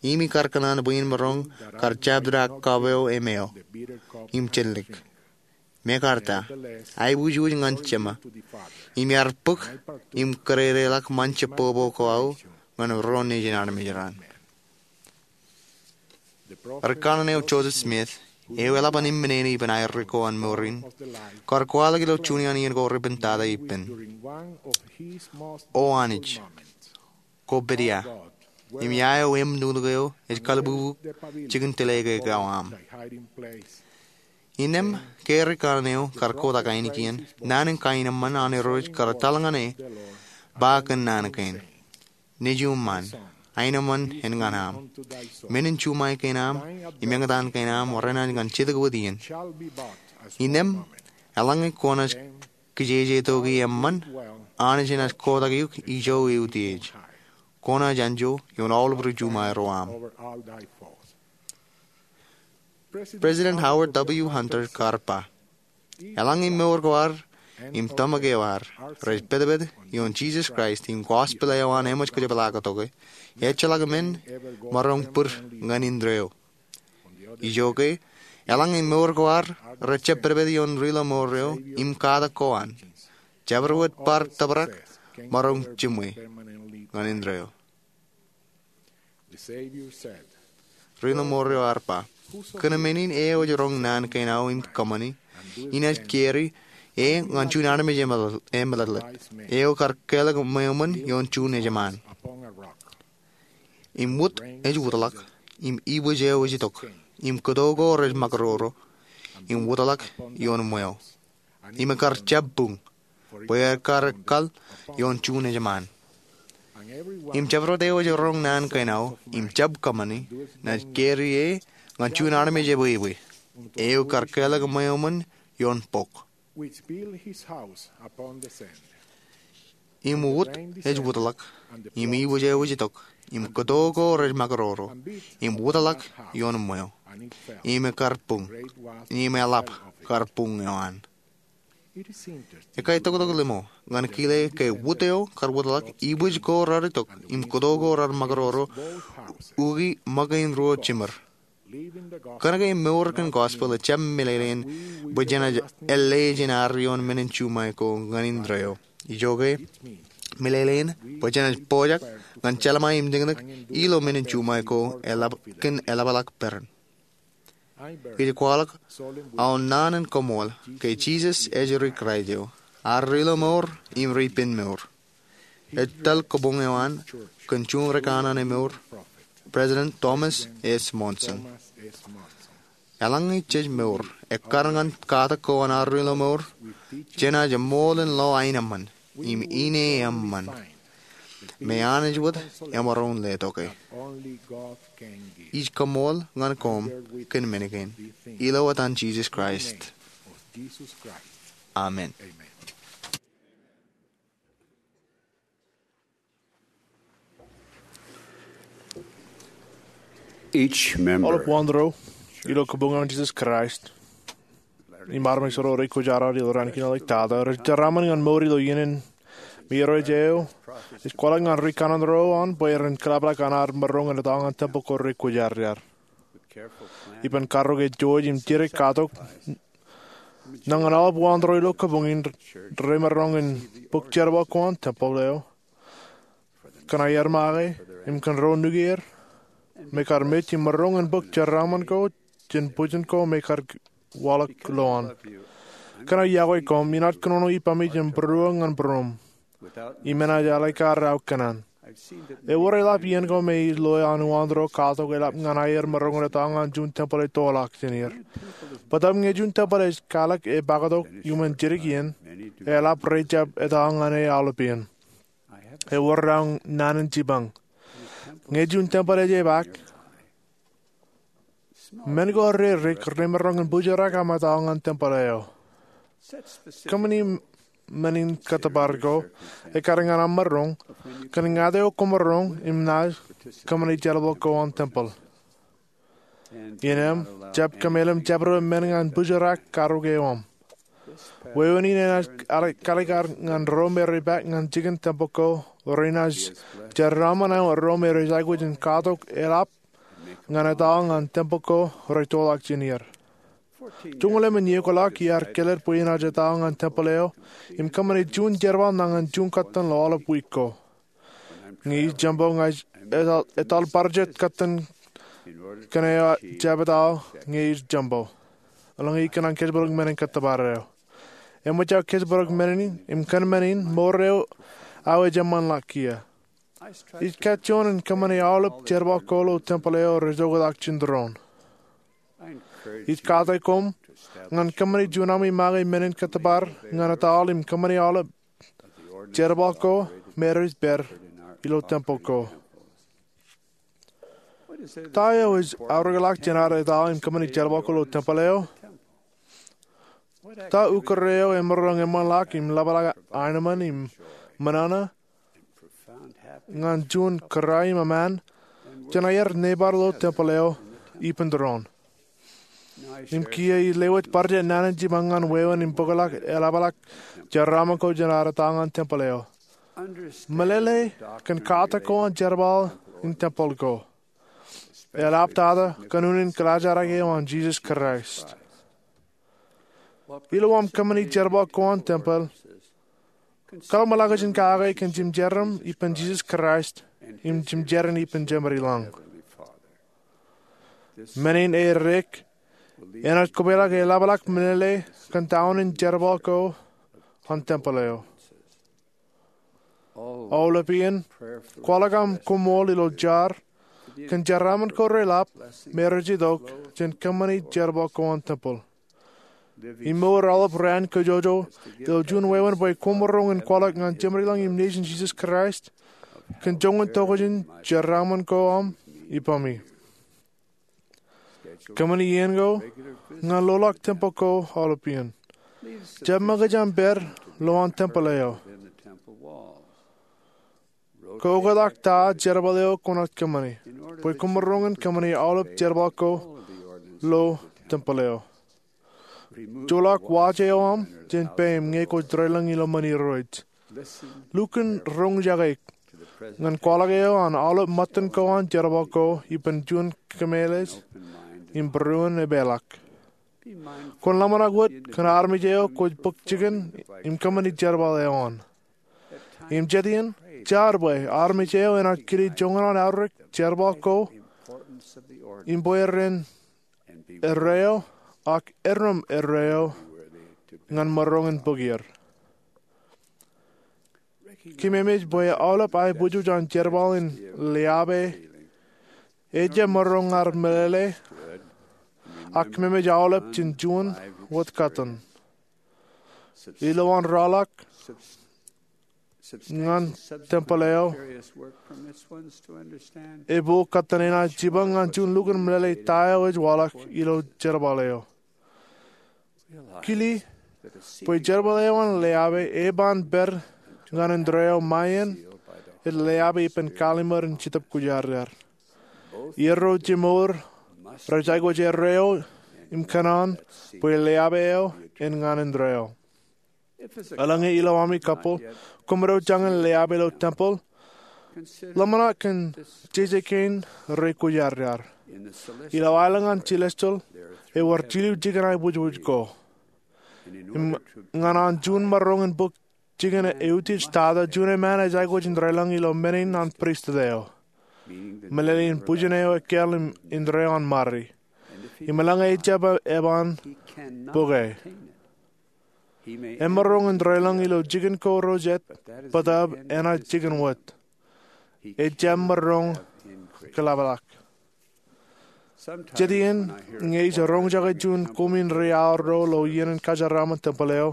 Im ikar kōṇaan bwe in maroñ kar jabdewōt kab eo emeo im jellik. Mekarta, aiboojoj ñan Jema im iar bōk im kōdedeḷọk ṃōn jebbobo ko aō ñan ro nejin armej raṇ. Ri kanaan eo Joseph Smith, eo eḷap an eṃṃan āne ippān aer ri ko an mour in, kar kwaḷọk ilo juon iien ko ri ippān tata ippān. O Anij, kwō pād ia, im ia eo eṃ nuknuk eo ej kalbubu jikin tile ke ekao aṃ? Innām ke ri kanaan eo kar kotak ainikien, naan in kaenōṃṃan an Irooj kar etal ñan e ba kōn naan kein: Nejiṃṃan, aenōṃṃan en ñan aṃ. Menin juṃae kein aṃ im eñtaan kein aṃ renaaj ñan jidik wōt iien. Innām eḷaññe kwōnaaj kijeje toki eṃṃan, Anij enaaj kotak eok ijo eutiej. Kwōnaaj anjọ ioon aolep ri juṃae ro aṃ. President Howard W. Hunter kar ba, eḷaññe mour ko ad im tōmak eo ad rej pedped ioon Jisōs Kraist im gospel eo an eṃōj kōjepḷaaktok e, ejjeḷọk men maroñ bwid ñan indeeo. Ijoke, eḷaññe mour ko ad rej jab pedped ioon ri ilo mour eo im katak ko an, jabdewōt bar tōprak maroñ jiṃwe ñan indeeo. Ri ilo mour eo ear ba, kōn men in eo ej roñ naan kein aō im kōṃṃani, inaaj keri e ñan juon armej emeḷeḷe, eo kar kelọk ṃweo ṃōn ioon juon ejṃaan. Im wōt ej wōtlọk, im ibwij eo ej itok, im kōto ko rej ṃakūroro, im wōtlọk ioon ṃweo. Im ekar jab buñ, bwe ekar ekkal ioon juon ejṃaan. Im jabdewōt eo ej roñ naan kein aō im jab kōṃṃani, naaj keri e ñan juon armej ebwebwe, eo kar kelọk ṃweo ṃōn ioon bok. Im wōt ej wōtlọk, im ibwij eo ej itok, im kōto ko rej ṃakūroro, im wōtlọk ioon ṃweo. Im ekar buñ, im eḷap kar buñ eo an. Ekwe toktok limo ñan kile ke wōt eo kar wōtlọk, ibwij ko rar itok, im kōto ko rar ṃakūroro, ukwe ṃōk in ruo jiṃor. Kōnke mour kōn gospel ejjab meḷeḷein bwe jenaaj ālikin ad ioon menin juṃae ko ñan indeeo. Ijoke, meḷeḷein bwe jenaaj pojak ñan jelṃae im tikōtik ilo menin juṃae ko kōn eḷapḷọk peran. Ij kwaḷọk aō naan in koṃṃool ke Jisōs ej ri Kraist eo, ad ri ilo mour im ri ippān mour. Ej tōl kabuñ eo an kōn juon ri kanaan emour, President Thomas S. Monson. Eḷaññe jej mour ekkar ñan katak ko an ad ri ilo mour, jenaaj eṃool in lo aenōṃṃan im ine eṃṃan me Anij wōt emaroñ letoke. Ij koṃṃool ñan koṃ kōn men kein, ilo etan Jisōs Kraist, amen. Aolep wōn ro ilo kabuñ eo an Jisōs Kraist im armej ro rekwōjarjar ilo raan kein ḷọk tata rej jeraaṃṃan ñan mour ilo iien in me Irooj eo ej kwaḷọk ñan ri kanaan ro an bwe ren kōḷapḷọk an ad maroñ in etal ñan tempel ko rekwōjarjar. Ippān karreo eo ej jouj im jidik katok, ñan aolep wōn ro ilo kabuñ in remaroñ in bōk jerbal ko an tempel eo kōn aer make im kōn ro nukier me kar mej im maroñ in bōk jeraaṃṃan ko jān bwijin ko me kar waḷọk lowaan. Kōnke iọkwe koṃ, inaaj kōnono ippaṃ ijin būruō ñan būruōṃ im enaaj ālikin aō kōṇaan. Ewōr eḷap iien ko me ij loe an wōn ro katok eḷap ñan aer maroñ in etal ñan juon tempel ettoḷọk jān er. Bōtab ñe juon tempel ej kalōk e pakatok iuṃwin jidik iien, eḷap rej jab etal ñan e aolepān. Ewōr aō naan in jipañ. Ñe juon tempel ej epaak, men ko rerik remaroñ in bōjrak aṃ etal ñan tempel eo. Kōṃṃani men in kōttōpar ko ekkar ñan aṃ maroñ kōn ñāāt eo kwōmaroñ im naaj kōṃṃani jerbal ko an tempel. Innām, jab kōmeḷeḷe jabdewōt men ñan bōjrak karōk eo aṃ. Wāween in enaaj kalikkar ñan ro me rej paak ñan jikin tempel ko renaaj jeraaṃṃan eo ro me rej aikuj in katok eḷap ñan ettoḷọk ñan tempel ko rej toḷọk jān er. Joñoul emān iiō ḷọk iar kōlōt bwe inaaj ettoḷọk ñan tempel eo im kōṃṃane juon jerbal nañin juon kōttan ḷọk aolep wiik ko. Ñe ij jeṃbo ña ij etal bar jet kōttan kōn eo jab ettoḷọk ñe ij jeṃbo. Eḷaññe ikōṇaan kōjparok men in kōttōpar eo, eṃōj aō kōjparok men in im kōn men in mour eo aō ej eṃṃanḷọk kiiō. Ij kajjioñ in kōṃṃane aolep jerbal ko ilo tempel eo rej oktak jān tōre in. Ij kate koṃ ñan kōṃṃane juon ami make men in kōttōpar ñan ettoḷọk im kōṃṃane aolep jerbal ko me rej pād ilo tempel ko. Ta eo ej aorōkḷọk jān ad ettoḷọk im kōṃṃane jerbal ko ilo tempel eo? Ta ukōt eo emaroñ eṃṃanḷọk im ḷapḷọk aenōṃṃan im ṃōṇōṇō ñan juon kōrā im eṃṃan jān aer neighbor ilo tempel eo ippān tōre in? Im kiiō ij lewōj bar jet naan in jipañ ñan wāween im bōkḷọk eḷapḷọk jeraaṃṃan ko jān ad ettoḷọk ñan tempel eo. Meḷeḷe kōn katak ko an jerbal in tempel ko, eḷaptata kōn unin kōḷaajrak eo an Jisōs Kraist. Ilo aṃ kōṃṃane jerbal ko an tempel, kaḷmenḷọkjeṇ kake kōn jimjeraaṃ ippān Jisōs Kraist im jimjeraaṃ ippān Jemedlañ. Men in eddek enaaj kōpeḷḷọk eḷapḷọk meḷeḷe kōn ta unin jerbal ko an tempel eo. Aolep iien, kwaḷọk aṃ koṃṃool ilo jar kōn jeraaṃṃan ko reḷap me rej itok jān kōṃṃane jerbal ko an tempel. Im mour aolep raan kōjọjọ ilo juon wāween bwe koṃ maroñ in kwaḷọk ñan Jemedlañ im Nejin Jisōs Kraist kōn joñan tokjān jeraaṃṃan ko aṃ ippāmi. Kōṃṃane iien ko ñan loḷọk tempel ko aolep iien. Jab ṃōkaj aṃ pād lowaan tempel eo. Kaoktak ta jerbal eo kwōnaaj kōṃṃane bwe koṃ maroñ in kōṃṃane aolep jerbal ko lo tempel eo. Joḷọk waj eo aṃ jān peiṃ ñe kwōj deḷọñ ilo ṃōn Irooj. Lukkuun roñjake ñan kwaḷọk eo an aolep ṃōttan ko an jerbal ko ippān juon kōmeḷeḷe im būruon epeḷḷọk. Kwōn ḷōmṇak wōt kōn armej eo kwōj bōk jikin im kōṃṃane jerbal eo an. Im jet iien, jar bwe armej eo enaaj kile joñan an aorōk jerbal ko im bwe ren erreo ak erom erreo ñan maroñ in bōk er. Kōmemej bwe aolep aebujoj an jerbal in leape ejjab maroñ ar meḷeḷe, ak kōmemej aolep jān juon wōt kōttan. Ilowaan ralitōk ñan tempel eo, epok kōttan enaaj jipañ ñan juon lukkuun meḷeḷe ta eo ej waḷọk ilo jerbal eo. Kile bwe jerbal eo an leape eban pād ñan indeeo ṃae in ej leape ippān kallimur in Jetōb Kwōjarjar. Iar ro jemād rej aikuj erreo im kōṇaan bwe leape eo en ñan indeeo. Eḷaññe ilo ami couple koṃ ro jañin leape ilo tempel, ḷōmṇak kōn jeje kein rej kwōjarjar. Ilo aelōñ an celestial ewōr jilu jikin aebwijbwij ko. Im ñan an juon maroñ in bōk jikin eutiej tata, juon eṃṃan ej aikuj in deḷọñ ilo men in an pristut eo, meḷeḷein bwijin eo ekkāāl im indeeo an ṃare. Im eḷaññe ejjab eban bōke, emaroñ in deḷọñ ilo jikin ko ro jet, bōtaab enaaj jikin wōt. Ejjab maroñ kōḷapḷọk. Jet iien ñe ij roñjake juon koṃwin ri-aorro ilo iien in kajeraaṃṃan tempel eo,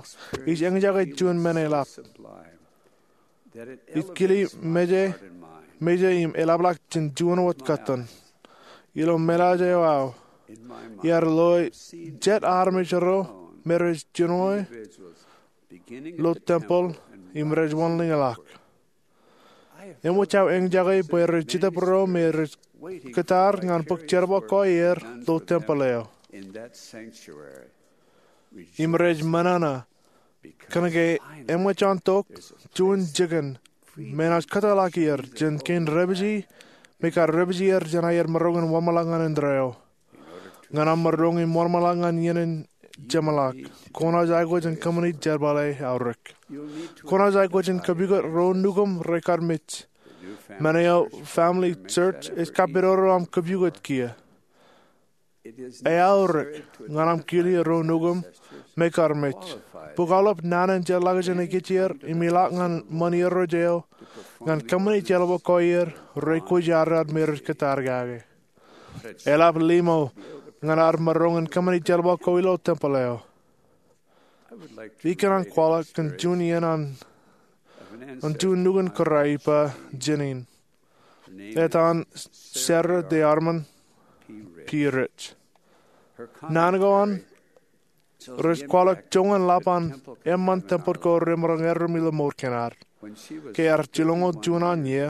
ij eñjake juon men eḷap. Ij kile meje, meje im eḷapḷọk jān juon wōt kōttan. Ilo meḷeḷe eo aō, iar loe jet armej ro me rej jinoe lo tempel im rej wōnḷiñḷọk. Eṃōj aō eñjake bwe rej Jetōb ro me rej kōtaar ñan bōk jerbal ko aer ilo tempeḷ eo im rej menana, kōnke eṃōj an tok juon jikin me enaaj kōtḷọk er jān kein debōjrak me kar debōjrak jān aer maroñ in wōnṃaanḷọk ñan indeeo. Ñan aṃ maroñ in wōnṃaanḷọk ñan iien in jeṃḷọk, kwōnaaj aikuj in kōṃṃani jerbal eo aorōk. Kwōnaaj aikuj in kōpukot ro nukuṃ rekar mej. Men eo family church ej kapedoro aṃ kōpukot kiiō. Eaorōk ñan aṃ kile ro nukuṃ me kar mej bwe kwaar aolep naan in jeḷā kajin ekkejel im ilọk ñan ṃōn irooj eo ñan kōṃṃani jerbal ko aer rej kwōjarjar me rej kōtaar kake. Eḷap liṃo ñan ad maroñ in kōṃṃani jerbal ko ilo tempeḷ eo. Ikōṇaan kwaḷọk kōn juon iien an juon nukun kōrā ippa jān in. Etan Sarah DeArmon P. Rich. Naan ko an rej kwaḷọk joñan ḷap an eṃṃan tempeḷ ko remaroñ erom ilo mour kein ad. Ke ear jilñoul juon an iiō,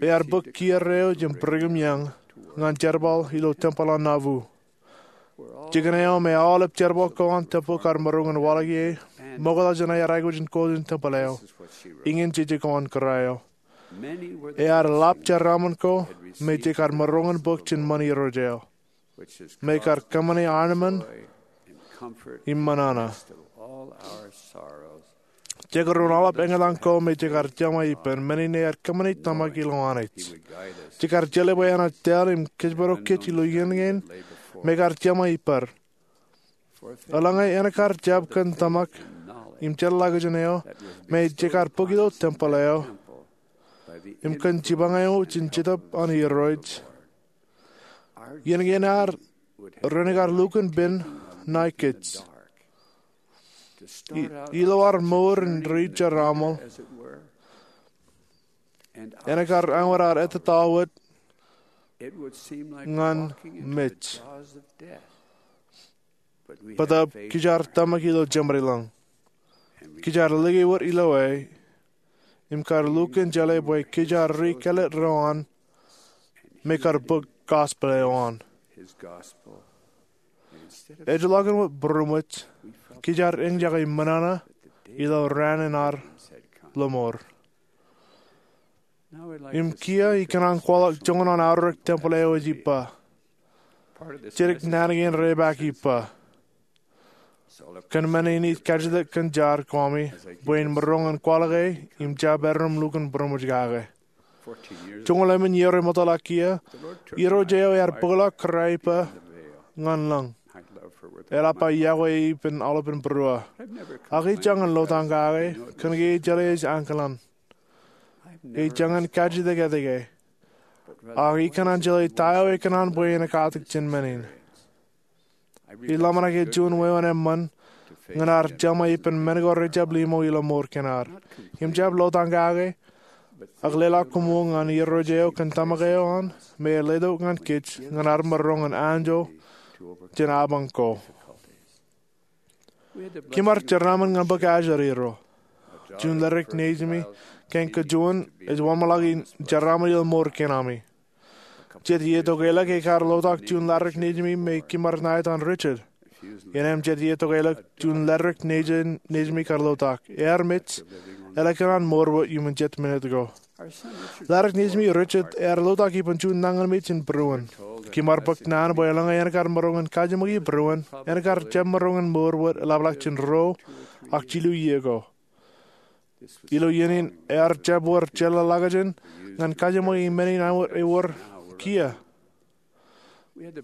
ear bōk kiiō eo jān Brigham Young ñan jerbal ilo tempeḷ an Nauvoo. Jikin eo me aolep jerbal ko an tempeḷ kar maroñ in waḷọk ie ṃokta jān aer aikuj in kọọte tempeḷ eo. Iñin jeje ko an kōrā eo. Ear ḷap jeraaṃṃan ko me jej kar maroñ in bōk jān ṃōn irooj eo me kar kōṃṃane armej im menana. Jekdọọn aolep eñtaan ko me jej kar jeṃa ippān, men in ear kōṃṃane tōmak ilowaan ej. Jej kar jeḷā bwe enaaj tōl im kōjparok kōj ilo iien kein me kar jeṃa ippād. Eḷaññe en kar jab kōn tōmak im jeḷā kajin eo me jej kar bōk ilo tempeḷ eo im kōn jipañ eo jān Jetōb an Irooj, iien kein ad ren kar lukkuun pen ṇae kōj. Ilo ad mour in ri-jeraaṃṃan, en kar āinwōt ad ettōr wōt ñan mej. Bōtaab kōj ar tōmak ilo jeṃadelōñ. Kōj ar lōke wōt ilo e im kar lukkuun jeḷā bwe kōj ar ri-kāālōt ro an me kar bōk gospel eo an. Ejjeḷọkin wōt būroṃōj, kōj ar eñjake menana ilo raan in ad lọmọọr. Im kiiō ikōṇaan kwaḷọk joñan an aorōk tempeḷ eo ej ippa. Jidik naan kein repaak ippa. Kōn men in ij kajjitōk kōn jar ko ami bwe in maroñ in kwaḷọk e im jab erom lukkuun būroṃōj kake. Joñoul emān iiō remootḷọk kiiō, Irooj eo ear bōkḷọk kōrā ippa ñan lōñ. Eḷap aō yokwe e ippān aolepān būruō. Ak ij jañin lotak kake kōnke ij jeḷā ej ankilaan. Ij jañin kajjitōk etke, ak ikōṇaan jeḷā ta eo ekōṇaan bwe en katak jān men in. Ij ḷōmṇak juon wāween eṃṃan ñan ad jeṃa ippān men ko rejjab liṃo ilo mour kein ad. Im jab lotak kake, ak leḷọk koṃṃool ñan Irooj eo kōn tōmak eo an me ej letok ñan kōj ñan ad maroñ in anjọ jān apañ ko. Kim ar jeraaṃṃan ñan bōk ajri ro. Juon leddik nejimi kein kajuon ej wōnṃaanḷọk in jeraaṃṃan ilo mour kein ami. Jet iiō tokālik ekar lotak juon leddik nejimi me kim ar ṇae etan Richard. Innem jet iiō tokālik juon leddik nejimi kar lotak. Ear mej, eḷak kōn an mour wōt iuṃwin jet minit ko. Leddik nejimi Richard ear lotak ippān juon nañinmej in būruon. Kim ar bōk naan bwe eḷaññe en kar maroñ in kajiṃwe bwe būruon, en kar jab maroñ in mour wōt eḷapḷọk jān ruo ak jilu iiō ko. Ilo iien in ear jab wōr jeḷāḷọkjeṇ ñan kajiṃwe men in āinwōt ewōr kiiō.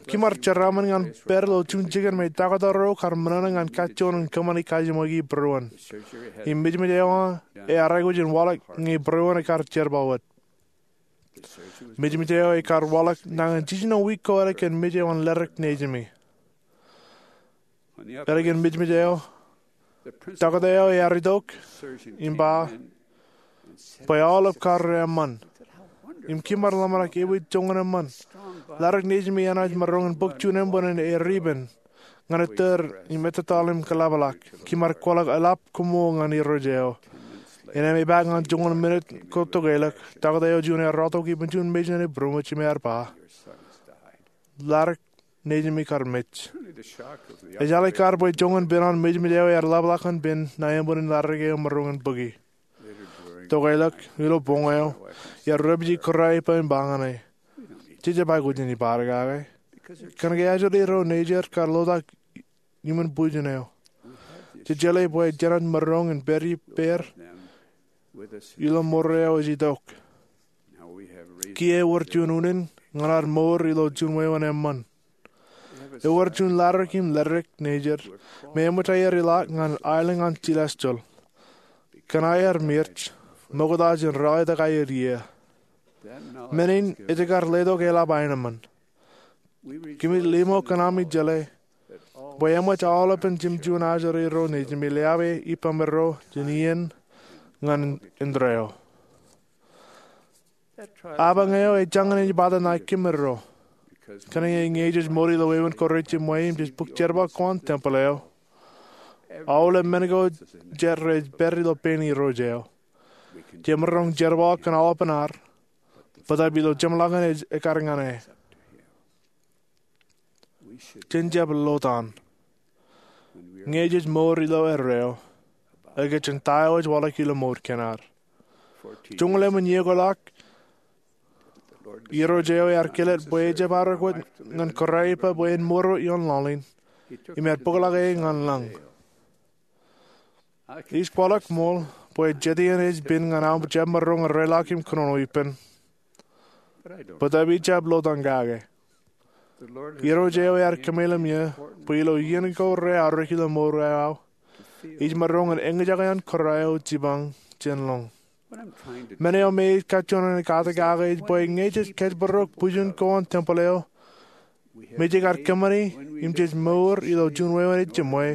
Kim ar jeraaṃṃan ñan pād ilo juon jikin me taktō ro kar menana ñan kajjoon in kōṃṃane kajiṃwe bwe būruon. Im mejmej eo ear aikuj in waḷọk ñe būruon ekar jerbal wōt. Mejmej eo ekar waḷọk nañin jiljino wiik ko ālikin mej eo an leddik nejimi. Ālikin mejmej eo, taktō eo ear itok im ba bwe aolep kar eṃṃan. Im kim ar ḷōmṇak ewōr joñan eṃṃan. Leddik nejimi enaaj maroñ in bōk juon eṃṃan in eripān ñan ettōr im ettōtaḷ im kōḷapḷọk. Kim ar kwaḷọk eḷap koṃṃool ñan Irooj eo. Innām epaak ñan joñan minit ko tokeḷọk, taktō eo juon ear rọọltok ippān juon mejān ej būroṃōj im ear ba, "Ladik nejimi kar mej." Ejjeḷọk kar bwe joñan pein an mejmej eo ear ḷapḷọk ñan pen ṇae eṃṃan in ladik eo maroñ in bōki. Tokeḷọk ilo boñ eo, ear repiji kōrā ippa im ba ñan e, "Jej jab aikuj in ippād kake. Kōnke ajri ro nejid kar lotak iṃōn bwijin eo. Jej jeḷā bwe jenaaj maroñ in pād ippāer ilo mour eo ej itok." Kiiō ewōr juon unin ñan ad mour ilo juon wāween eṃṃan. Ewōr juon ladik im ledik nejid me eṃōj aer ilọk ñan aelōñ an celestial kōn aer mirj ṃokta jān ralitōk aer iiō. Men in ej kar letok eḷap aenōṃṃan. Kōmij limo kōn ami jeḷā bwe eṃōj aolepān jimjuon ajri ro nejimi leabe ippaṃro jān iien ñan indeeo. Apañ eo ej jañin ej bōktok ṇae kōmro. Kōnke ñe jej mour ilo wāween ko rejjimwe im jej bōk jerbal ko an tempel eo, aolep men ko jet rej pād ilo pein Irooj eo. Jemaroñ jerbal kōn aolepān ad, bōtab ilo jeṃḷọkin ej ekkar ñan e. Jen jab lotan ñe jej mour ilo erreo, ekwe jān ta eo ej waḷọk ilo mour kein ad. Joñoul emān iiō ko ḷọk, Irooj eo ear kāālōt bwe ejab arōk wōt ñan kōrā ippa bwe en mour ioon laḷ in, im ear bōkḷọk e ñan lañ. Ij kwaḷọk ṃool bwe jet iien ej pād ñan aō jab maroñ in reiḷọk im kōnono ippān, bōtab ij jab lotan kake. Irooj eo ear kōmeḷeḷe eō bwe ilo iien ko reaorōk ilo mour eo aō, ij maroñ in eñjake an kōrā eo jipañ jān lañ. Men eo me ij kajjioñ in kate kake ej bwe ñe jej kōjparok bwijin ko an tempel eo, me jej kar kōṃṃani im jej mour ilo juon wāween ejjimwe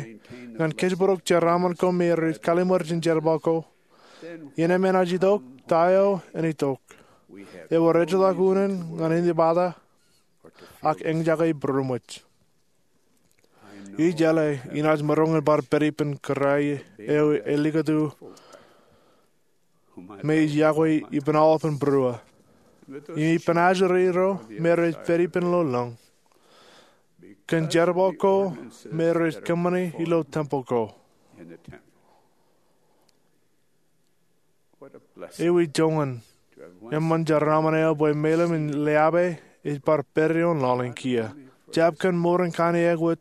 ñan kōjparok jeraaṃṃan ko me rej kallimur jān jerbal ko, iien eṃṃan ej itok ta eo en itok. Ewōr ejjeḷọk unin ñan inepata ak eñjake būroṃōj. Ij jeḷā inaaj maroñ in bar pād ippān kōrā eo elikūtu me ij yokwe ippān aolepān būruō im ippān ajri ro me rej pād ippān ilo lañ, kōn jerbal ko me rej kōṃṃani ilo tempel ko. Ewi joñan eṃṃan jeraaṃṃan eo bwe meḷeḷe in leabe ej bar pād ioon laḷ in kiiō, jab kōn mour in kain eakwōt,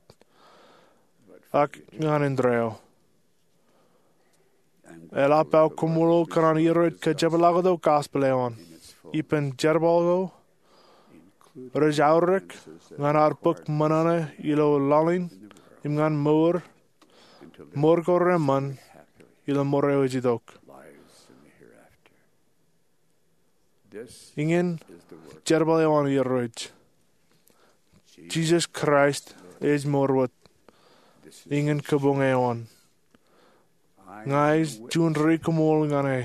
ak ñan indeeo. Eḷap aō koṃṃool kōn an Irooj kōjepḷaaktok gospel eo an ippān jerbal ko rej aorōk ñan ad bōk ṃōṇōṇō ilo laḷ in im ñan mour, mour ko reṃṃan ilo mour eo ej itok. Iñin jerbal eo an Irooj. Jisōs Kraist ej mour wōt iñin kabuñ eo an. Ña ij juon ri koṃṃool ñan e.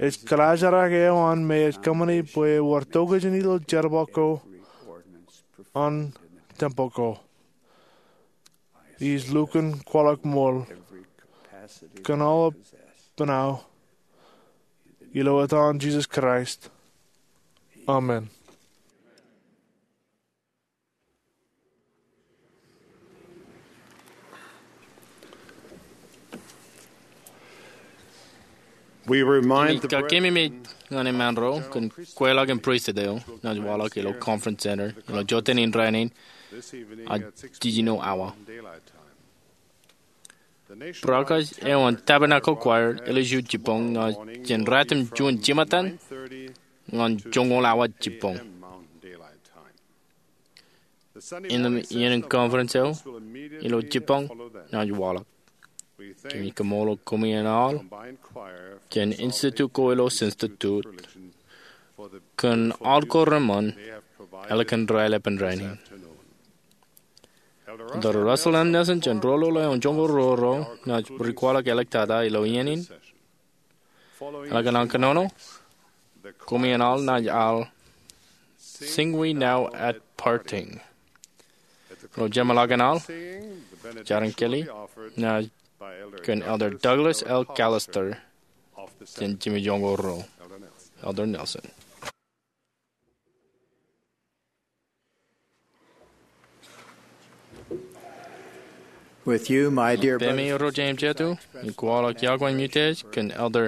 Ej kaḷajrak eo an me ej kōṃṃani bwe ewōr tokjān ilo jerbal ko an tempel ko. Ij lukkuun kwaḷọk ṃool kōn aolepān aō ilo etan Jisōs Kraist, amen. Ij kakememej ñan eṃṃaan ro kōn kweilọk in pristut eo naaj waḷọk ilo Conference Center ilo jota in rainin at jiljino awa. Brakaj eo an Tabernacle Choir eḷḷā iju jibboñ ñan ratimjuon jimatan ñan joñoul awa jibboñ. Innām iien in conference eo ilo jibboñ naaj waḷọk. Kōmij kaṃṃoolol koṃi in aḷ jān institute ko ilo Saskatoon kōn aḷ ko reṃṃan ālikin raelepen rainin. Elder Russell M. Nelson jān Rōl Eo an Joñoul Roro naaj ri kwaḷọk āliktata ilo iien in. Ālikin an kōnono, koṃi in aḷ naaj al Sing We Now at Parting. Ilo jeṃḷọkin aḷ, Jarin Kelly naaj kōn Elder Douglas L. Callister jān Jimmy Yongo Ro. Elder Nelson. With you, my dear brothers and sisters, I express my gratitude. Peiṃ irooj im jeiū, ij kwaḷọk iọkwe im utiej kōn Elder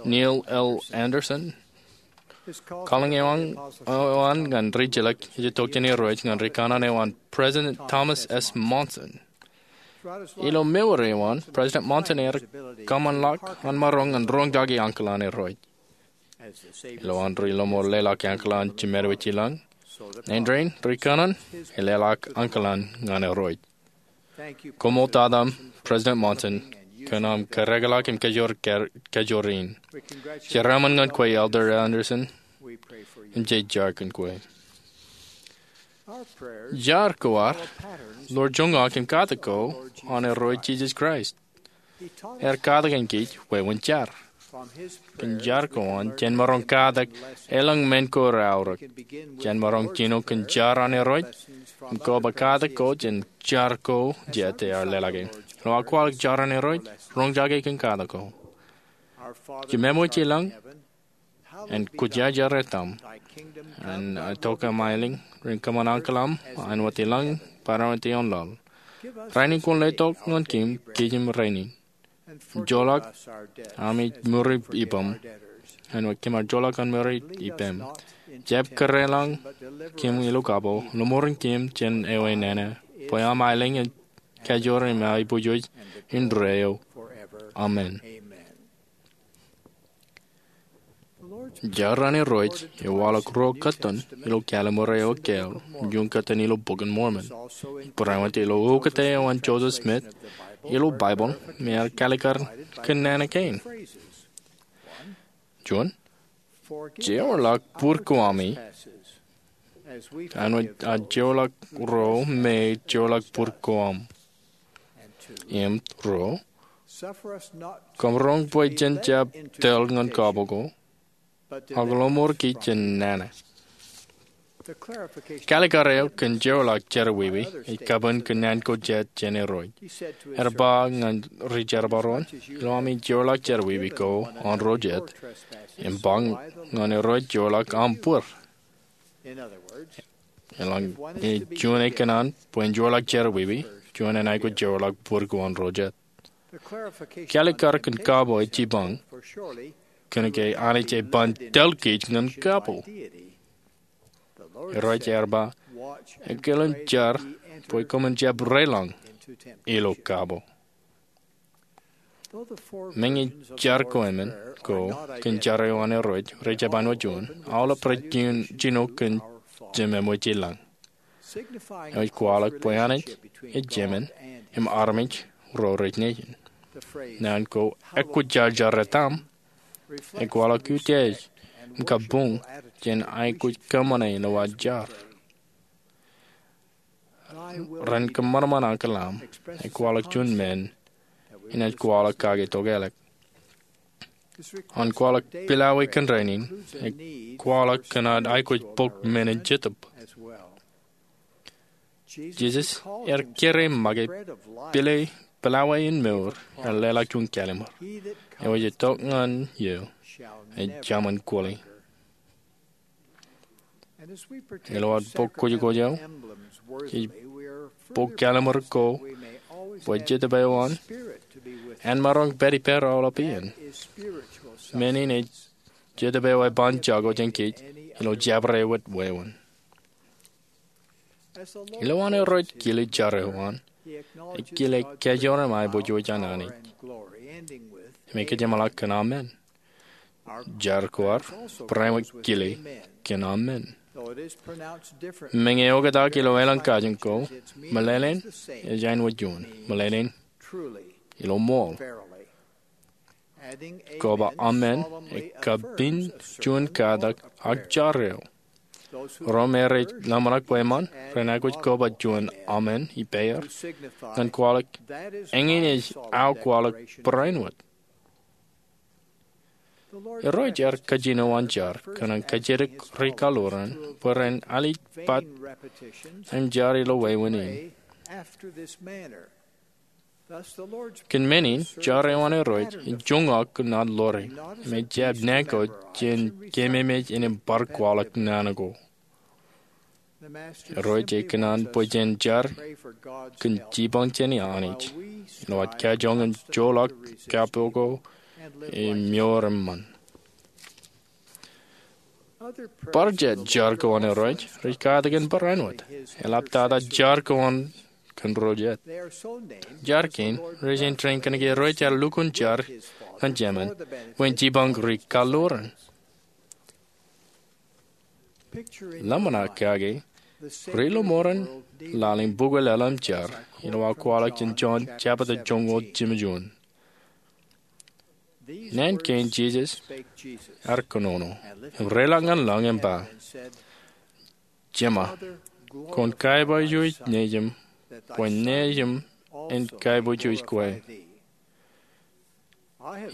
Neil L. Andersen. Kalōñ eo an ñan rijilōk ej itok jān Irooj ñan rikōṇaan eo an President Thomas S. Monson. Ilo mour eo an, President Monson ear kōṃṃanḷọk an maroñ ñan roñjake ankilōk an Irooj. Ilo an ri lọmọọr leḷọk ankilōk an Jemān wōt ilañ, āindein rikōṇaan ej leḷọk ankilōk ñan Irooj. Koṃṃool tata, President Monson, kōn aṃ kōrōkḷọk im kajoor, kajoor in. Jeraaṃṃan ñan kwe, Elder Andersen, im jej jar kōn kwe. Jar ko ad ḷoor joñak im katak ko an Irooj Jisōs Kraist. Ear katak kōn kōj wāween jar. Kōn jar ko an, jen maroñ katak elōñ men ko reaorōk. Jen maroñ jino kōn jar an Irooj im koba katak ko jān jar ko jet ear leḷọk e. Ilo aō kwaḷọk jar an Irooj, roñjake kōn katak ko. Jemān wōt ilañ, en kwōjarjar etaṃ. En itok aṃ aelōñ, ren kōṃṃan ankilōñ aṃ, āinwōt ilañ, barāinwōt ioon laḷ. Rainin kwōn letok ñan kōm, kōj im rainin. Joḷọk ami ṃuri ippām, āinwōt kōm ar joḷọk an ṃuri ippām. Jab kōrā lañ kōm ilo kapo, lọmọọren kōm jān eo enana, bwe aṃ aelōñ ej kajoor im aiboojoj indeeo. Amen. Jar an Irooj ej waḷọk ruo kōttan ilo Kalliṃur eo ekāāl, juon kōttan ilo Bok in Mormon. Barāinwōt ilo ukōte eo an Joseph Smith ilo Baibōḷ, me ear kaalikkar kōn nana kein. Juon, jeorḷọk būr ko ami, āinwōt ad jeorḷọk ro me jeorḷọk būr ko aṃ. Im ruo, kōmro bwe jen jab tōl ñan kapo ko, ak lọmọọr kōj jān nana. Kaalikkar eo kōn jeorḷọk jerọwiwi ej kabuñ kōn naan ko jet jān Irooj. Ear ba ñan ri jerbal ro an, ilo ami jeorḷọk jerọwiwi ko an ro jet, im ba ñan Irooj jeorḷọk aṃ būr. Eḷaññe ej juon ekōṇaan bwe en jeorḷọk jerọwiwi, juon en aikuj jeorḷọk būr ko an ro jet. Kaalikkar kōn kapo ej jipañ, kōnke Anij ej ban tōl kōj ñan kapo. Irooj ear ba, ekōḷ im jar bwe koṃwin jab reilañ ilo kapo. Meñe jar ko emān ko kōn jar eo an Irooj rej jab āinwōt juon, aolep rej jino kōn Jemān wōt ilañ. Eo ej kwaḷọk bwe Anij ej Jemān im armej ro rej nejin. Naan ko ekwōjarjar etaṃ ej kwaḷọk utiej im kabuñ jān aikuj kōṃṃane ilo ad jar. Ren kōṃanṃan ankilōñ aṃ ej kwaḷọk juon men inaaj kwaḷọk kake tokālik. An kwaḷọk pilawā kōn rainin ej kwaḷọk kōn ad aikuj bōk men in jetōb. Jisōs ear kere make pilawā in mour ear leḷọk juon kalliṃur. Eo ej itok ñan eō ej jaṃin kwōle. Ilo ad bōk kwōjkwōj eo, jej bōk kalliṃur ko bwe Jetōb eo an en maroñ pād ippād aolep iien. Men in ej Jetōb eo eban jako jān kōj ilo jabdewōt wāween. Ilo an Irooj kile jar eo an, ekile kajoor im aiboojoj an Anij. Im ekōjeṃḷọk kōn amen. Jar ko ad barāinwōt kile kōn amen. Meñe eoktak ilo aelōñ kajin ko, meḷeḷein ej āinwōt juon, meḷeḷein ilo ṃool. Koba amen ej kabuñ juon katak ak jar eo. Ro me rej lōmṇak bwe eṃṃan ren aikuj koba juon amen ippāer ñan kwaḷọk, eñin ej aō kwaḷọk barāinwōt. Irooj ear kajino an jar kōn an kajjitōk ri kaḷoran bwe ren alikkar im jar ilo wāween in. Kōn men in, jar eo an Irooj ej joñak kōn ad ḷoore im ejjab naan ko jān keememej innem bar kwaḷọk naan ko. Irooj ej kōṇaan bwe jen jar kōn jipañ jān Anij ilo ad kajoñan joḷọk kappoko im mour eṃṃan. Bar jet jar ko an Irooj rej katak in barāinwōt. Eḷap tata jar ko an kōn ro jet. Jar kein rej āindein kōnke Irooj ear lukkuun jar ñan Jemān bwe en jipañ ri-kallo ren. Ḷōmṇak kake ri-lọmọọren laḷ in bukwe laḷ im jar ilo aō kwaḷọk jān Jon jebta joñoul jimjuon. Naan kein Jisōs ear kōnono im reiḷọk ñan lañ im ba, Jema, kwōn kaiboojoj Nejiṃ bwe Nejiṃ en kaiboojoj kwe.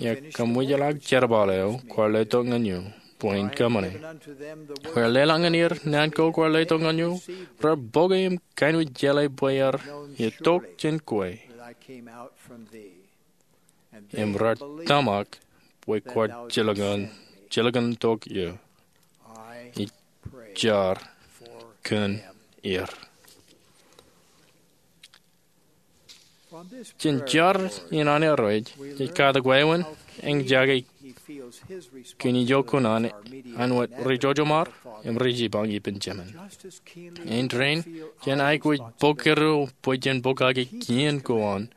Iar kōmwijḷọk jerbal eo kwaar letok ñan eō bwe in kōṃṃane. Kwōj leḷọk ñan er naan ko kwaar letok ñan eō. Raar bōke im kaenwōj jeḷā bwe iar itok jān kwe im raar tōmak bwe kwaar jilkintok eō. Ij jar kōn er. Jān jar in an Irooj ej katak wāween eñjake kōn ijo kuṇaan an wōt ri-jojoṃ ar im ri-jipañ ippān Jemān. Āindein jān aikuj bōk kōrā bwe jen pokake kien ko an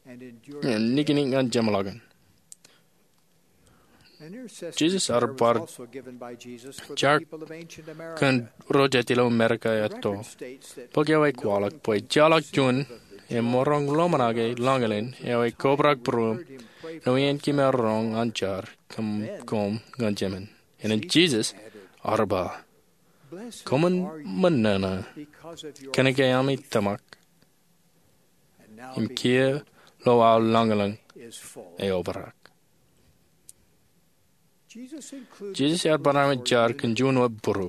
im niknik ñan jeṃḷọkin. Jisōs ear bar jar kōn ro jet ilo Amerika etto. Bok eo ej kwaḷọk bwe ejjeḷọk juon emaroñ ḷōmṇak e lañlōñ eo ej kobrak būruōṃ ilo iien kōm roñ an jar kōm ñan Jemān. Innem Jisōs ear ba, Koṃwin ṃōṇōṇō kōnke ami tōmak, im kiiō lo aō lañlōñ eobrak. Jisōs ear barāinwōt jar kōn juon wōt būru.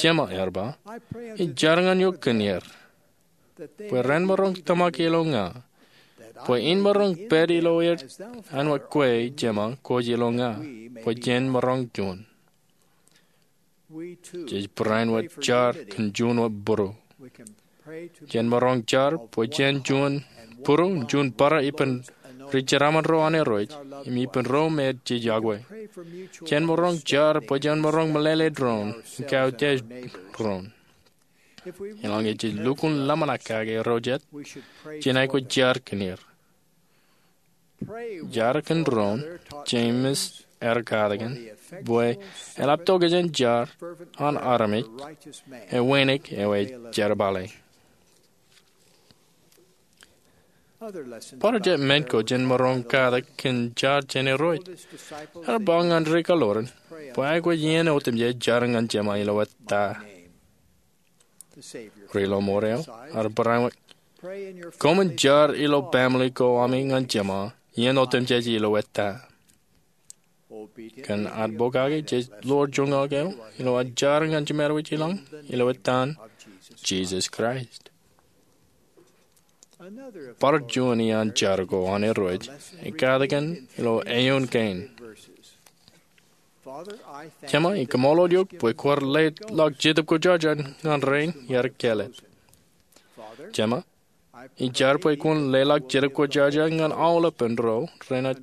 Jema, ear ba, ij jar ñan eok kōn er, bwe ren maroñ tōmak ilo ña, bwe in maroñ pād ilo er āinwōt kwe, Jema, kwōj ilo ña, bwe jen maroñ juon. Jej barāinwōt jar kōn juon wōt būru. Jen maroñ jar bwe jen juon būru, juon bōrā ippān ri-jeraaṃṃan ro an Irooj, im ippān ro me jej yokwe. Jen maroñ jar bwe jen maroñ meḷeḷe doon, im kautiej doon. Eḷaññe jej lukkuun ḷōmṇak kake ro jet, jen aikuj jar kōn er. Jar kōn doon, Jemes ear katakin, bwe eḷap to kōjeañ jar an armej ewānōk eo ej jerbale. Bar jet men ko jān maroñ katak kōn jar jān Irooj. Ear ba ñan ri-kallo ren bwe aikuj iien otemjej jar ñan Jema ilo ettā. Ri-lọmọọr eo ear barāinwōt, koṃwin jar ilo baaṃle ko ami ñan Jema iien otemjej ilo ettā. Kōn ad pokake jej ḷoor joñak eo ilo ad jar ñan jiṃor wōjlañ ilo ettaan Jisōs Kraist. Bar juon iaan jar ko an Irooj ej katakin ilo eoon kein. Jema, ij kaṃṃoolol eok bwe kwaar leḷọk Jetōb Kwōjarjar ñan rein iar kāālōt. Jema, ij jar bwe kwōn leḷọk Jetōb Kwōjarjar ñan aolepān ro renaaj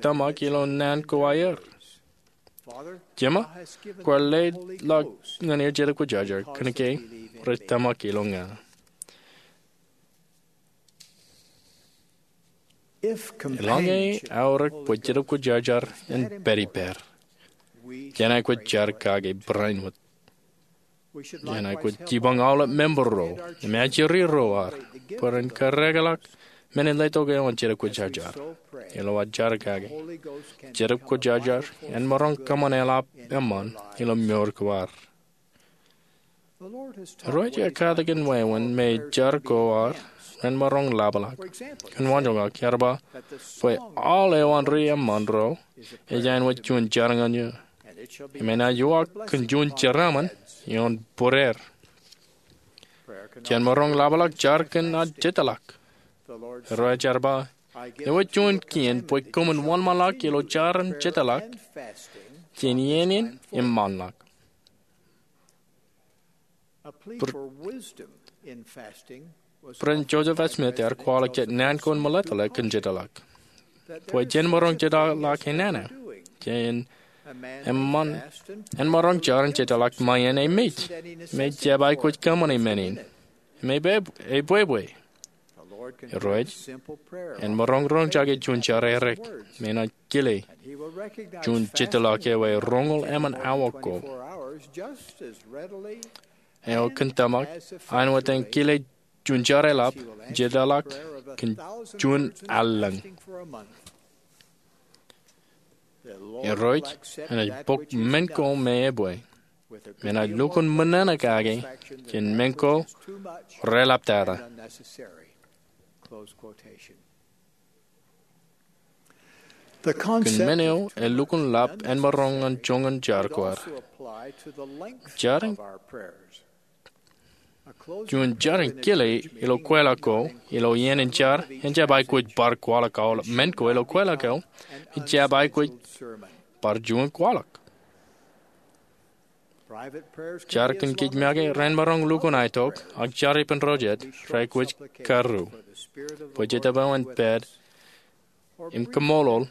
tōmak ilo naan ko aer. Jema, kwaar leḷọk ñan er Jetōb Kwōjarjar kōnke rej tōmak ilo ña. Eḷaññe aorōk bwe Jetōb Kwōjarjar en pād ippād, jen aikuj jar kake barāinwōt. Jen aikuj jipañ aolep member ro im ajri ro ad bwe ren kōrrekeḷọk men in letok eo an Jetōb Kwōjarjar. Ilo ad jar kake, Jetōb Kwōjarjar en maroñ kōṃṃan eḷap eṃṃan ilo mour ko ad. Irooj ej katakin wāween me jar ko ad ren maroñ ḷapḷọk. Kōn waanjoñak, ear ba bwe aolep eo an ri eṃṃan ro ej āinwōt juon jar ñan eō, im enaaj uwaak kōn juon jeraaṃṃan ioon būreir. Jen maroñ ḷapḷọk jar kōn ad jitōḷọk. Irooj ear ba, ewōr juon kien bwe koṃwin wōnṃaanḷọk ilo jar im jetōḷọk jān iien in im ṃaanḷọk. President Joseph F. Smith ear kwaḷọk jet naan ko in meḷeḷe kōn jetōḷọk, bwe jen maroñ jetōḷọk enana. Jān eṃṃan, en maroñ jar in jetōḷọk ṃae iien e mej, im e jab aikuj kōṃṃane men in, im e bwe, e bwebwe. Irooj en maroñ roñjake juon jar erik, im enaaj kile juon jetōḷọk eo e roñoul emān awa ko. Eo kōn tōmak, āinwōt en kile juon jar eḷap, jetōḷọk kōn juon allōñ. Irooj enaaj bōk men ko me ebwe, im enaaj lukkuun ṃōṇōṇō kake jān men ko reḷaptata. Kōn men eo elukkuun ḷap āinmaroñ ñan joñan jar ko ad. Jar in Juon jar in kile ilo kweilọk ko ilo iien in jar en jab aikuj bar kwaḷọk aolep men ko ilo kweilọk eo. Im jab aikuj bar juon kwaḷọk. Jar kōn kōj make ren maroñ lukkuun aetok, ak jar ippān ro jet reaikuj karū bwe Jetōb eo en pād im kaṃṃoolol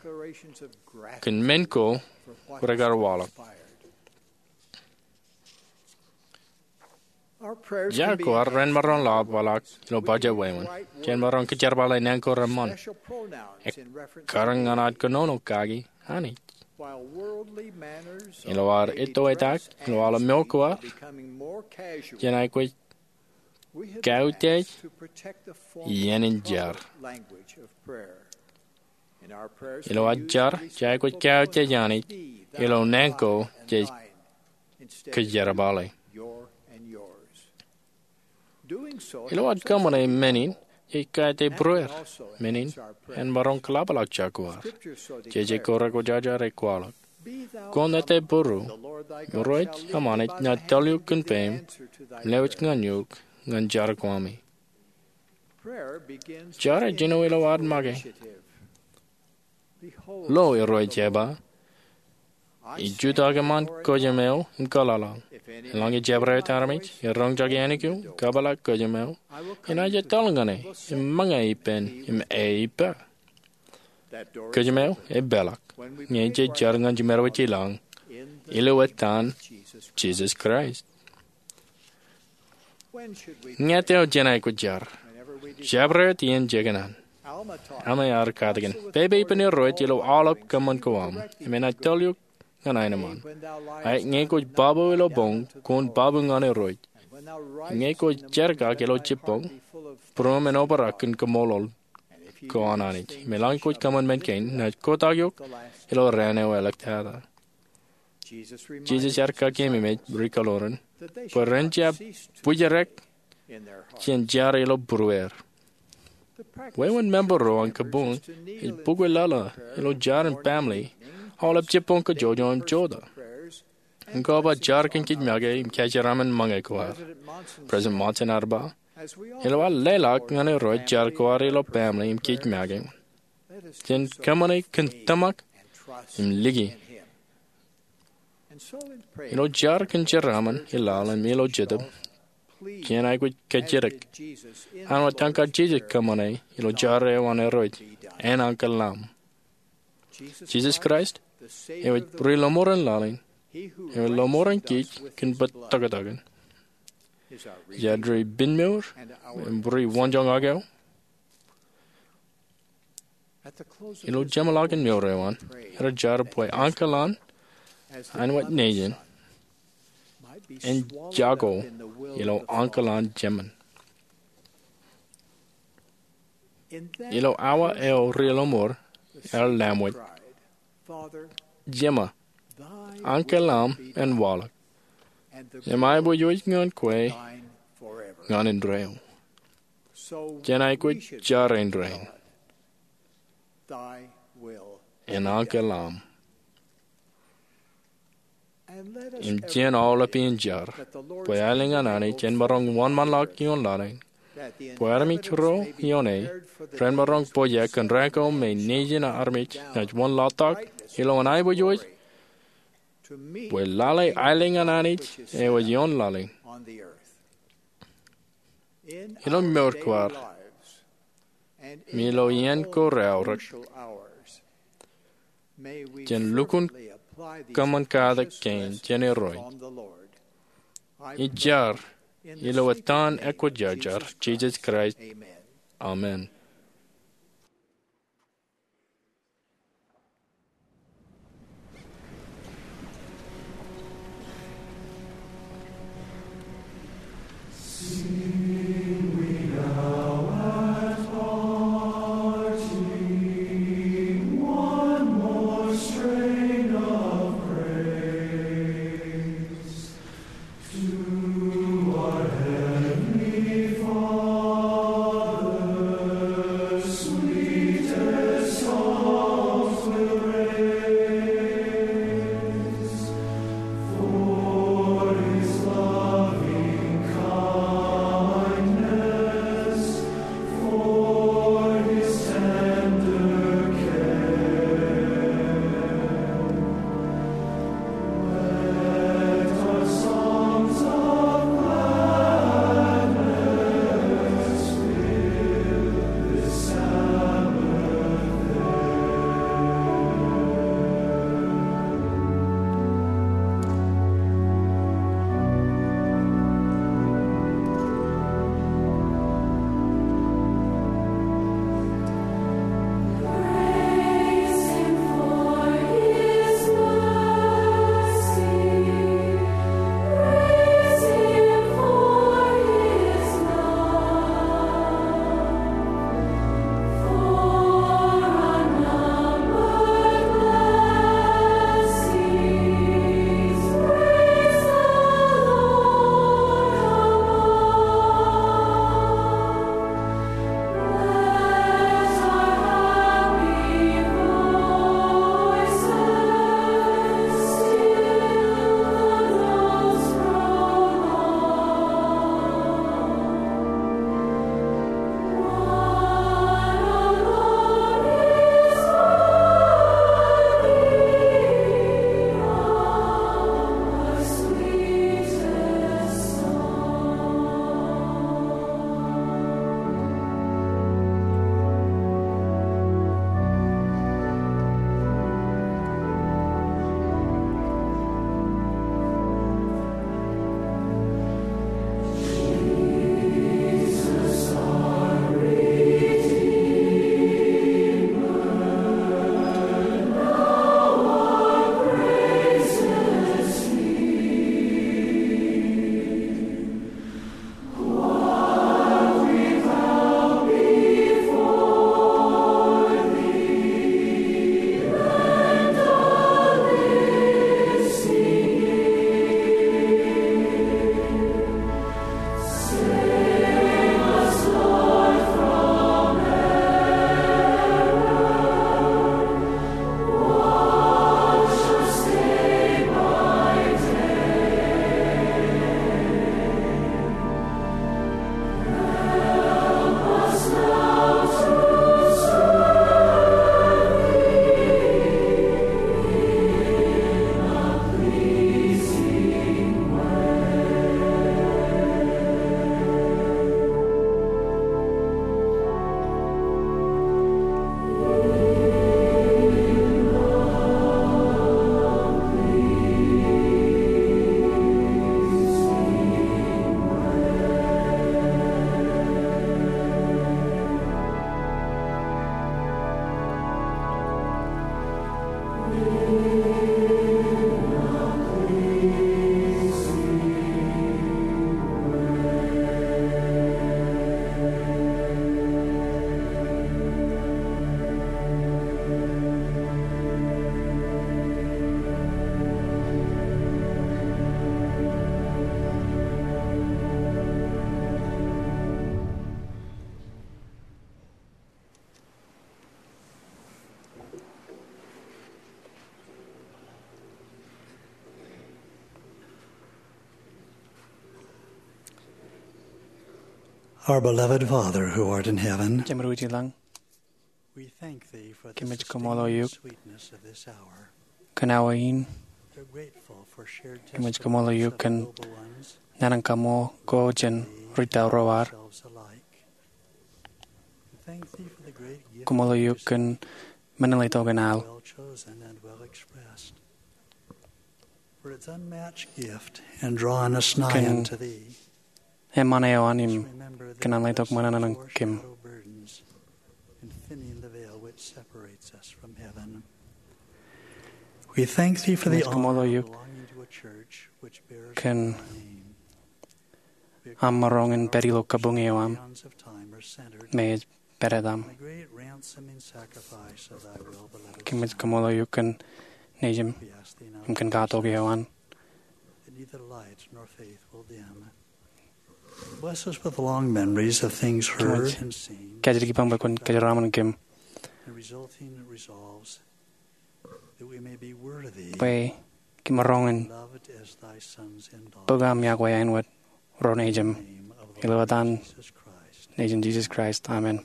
kōn men ko rekar waḷọk. Jar ko ad ren maroñ lọpḷọk ilo bajjek wāween jān maroñ kōjerbale naan ko reṃṃan. Ekkar ñan ad kōnono kaki Anij. Ilo ad itoitak ilo aolep mour ko ad, jen aikuj kautiej iien in jar. Ilo ad jar, jej aikuj kautiej Anij ilo naan ko jej kōjerbale. Ilo ad kōṃṃane men in, jej kautiej būrueir. Men in en maroñ kōḷapḷọk jar ko ad. Jeje ko rekwōjarjar ej kwaḷọk, kwōn ettebūru, Irooj eṃṃan ej nōbar eok kōn peiṃ, lewōj ñan eok ñan jar ko ami. Jar ej jino ilo ad make. Lo, Irooj ej ba, ij jutak eṃṃan kōjām eo im kōḷaḷḷaḷ. Eḷaññe jabdewōt armej eroñjake ānōk eo, kōpeḷḷọk kōjām eo, inaaj etal ñan e im ṃōñā ippān im e ippa. Kōjām eo ej peḷḷọk ñe jej jar ñan jiṃor wōt ilañ, ilo etan Jisōs Kraist. Ñe jet eo jen aikuj jar? Jabdewōt iien jekōṇaan. Alma ear katakin, pepe ippān Irooj ilo aolep kōṃṃan ko aṃ, im enaaj etal eok ñan aenōṃṃan. Ak ñe kwōj babu ilo boñ, kwōn babu ñan Irooj. Ñe kwōj jerkak ilo jibboñ, būruōm en obrak kōn kaṃṃoolol ko an Anij. Im eḷaññe kwōj kōṃṃan men kein, inaaj kotak eok ilo raan eo āliktata. Jisōs ear kakememej ri-kōḷoran bwe ren jab bwijrek jān jar ilo būrueir. Wāween member ro an kabuñ ej bukwi lōḷḷā ilo jar in baaṃle aolep jibboñ kajjojo im jota. Im kwō ba jar kōn kōj make im kōjeraaṃṃan ṃōñā ko ad. President Monson ear ba, ilo ad leḷọk ñan Irooj jar ko ad ilo baaṃle im kōj make, jen kōṃṃane kōn tōmak im liki. Ilo jar kōn jeraaṃṃan i laḷ im ilo jetōb, jen aikuj kajjitōk āinwōt etan Jisōs kōṃṃane ilo jar eo an Irooj, en Ankeḷ aṃ. Jisōs Kraist, ewōr ri-lọmọọr in laḷ in, ewōr lọmọọr in kōj kōn bōtōktōkin. Ej ad ri-pinmour im ri-wanjoñak eo. Ilo jeṃḷọkin mour eo an, ij jar bwe Ankeḷ an, āinwōt Nejin, en jako ilo Ankeḷ an jemān. Ilo awa eo ri-lọmọọr ear laṃwōj, Jema, Ankeḷ aṃ en waḷọk, im aiboojoj wōj ñan kwe ñan indeeo. Jen aikuj jar indeeo, en Ankeḷ aṃ. Im jen aolep iien jar bwe aelōñ an Anij en maroñ wōnṃaanḷọk ioon laḷ in, bwe armej ro ioone ren maroñ pojak kōn raan ko me nejin armej naaj wōnḷọk tok ilowaan aiboojoj bwe lale aelōñ an Anij eo ej ioon laḷ in. Ilo mour ko ad im ilo iien ko raorōk, jen lukkuun kōṃṃan katak kein jān Irooj. Ij jar ilo etan Ekwōjarjar, Jisōs Kraist, amen. Our beloved Father who art in heaven, Jemān eo ej ilañ, we thank thee for the kōmij kaṃṃoolol eok sustaining sweetness of this hour. Kōn awa in, we're grateful for shared kōmij kaṃṃoolol eok testimonies of kōn the noble ones naan in kaṃṃoolol ko jān ri tao ro ad. Ourselves alike. We thank thee for the great gift of mercy. Kaṃṃoolol eok kōn men in letok in al. Well chosen and well expressed. For its unmatched gift in drawing us nigh unto thee. Kōn eṃṃan eo an im kōn an letok ṃōṇōṇō ñan kōm. We thank thee for the honor of belonging to a church which bears thy name. Kōn aṃ maroñ in pād ilo kabuñ eo aṃ me ej pād etaṃ. Kōmij kaṃṃoolol eok kōn Nejiṃ im kōn katok eo an. Bless us with long memories of things heard and seen, kōmij kajjitōk ippaṃ bwe kwōn kōjeraaṃṃan kōm, and resulting resolves, that we may be worthy, bwe kōm maroñ in loved as thy sons and daughters, bōk aṃ iọkwe āinwōt ro nejiṃ. In the name of the Lord Jesus Christ. Ilo etan Nejin Jisōs Kraist, amen.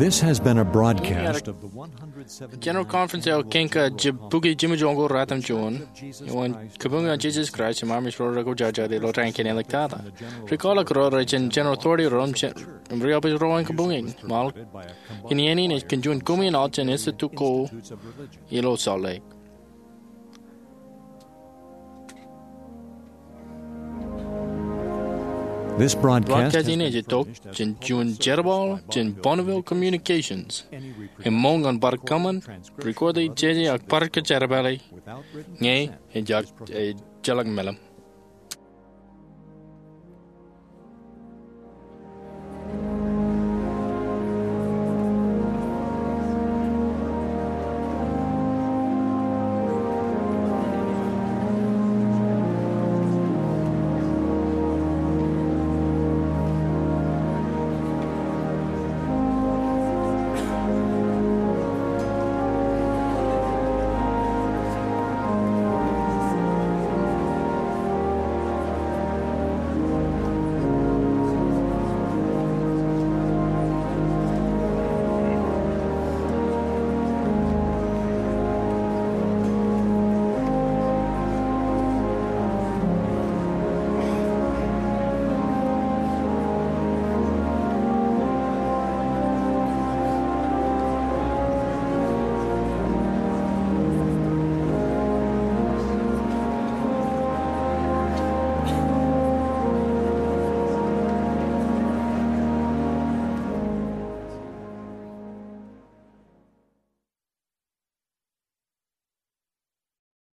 This has been a broadcast of the one hundred seventy-ninth General Conference eo kein kōj bukwi jimjuonñoul ratimjuon. Ewōr kabuñ eo an Jisōs Kraist im armej ro rekwojarjar ilo raan kein āliktata. Ri kwaḷọk ro rej jān General Authority ro im jen- im ri-auditor ro an kabuñ in. Ṃaal in iien in ej kōn juon koṃ in aḷ jān Institute ko ilo Salt Lake. This broadcast ej itok jān juon jerbal jān Bonneville Communications. Im ṃool ñan bar kōṃṃan, record e, jeje ak bar kōjerbale, ñe ejjab, ejjeḷọk meḷeḷe.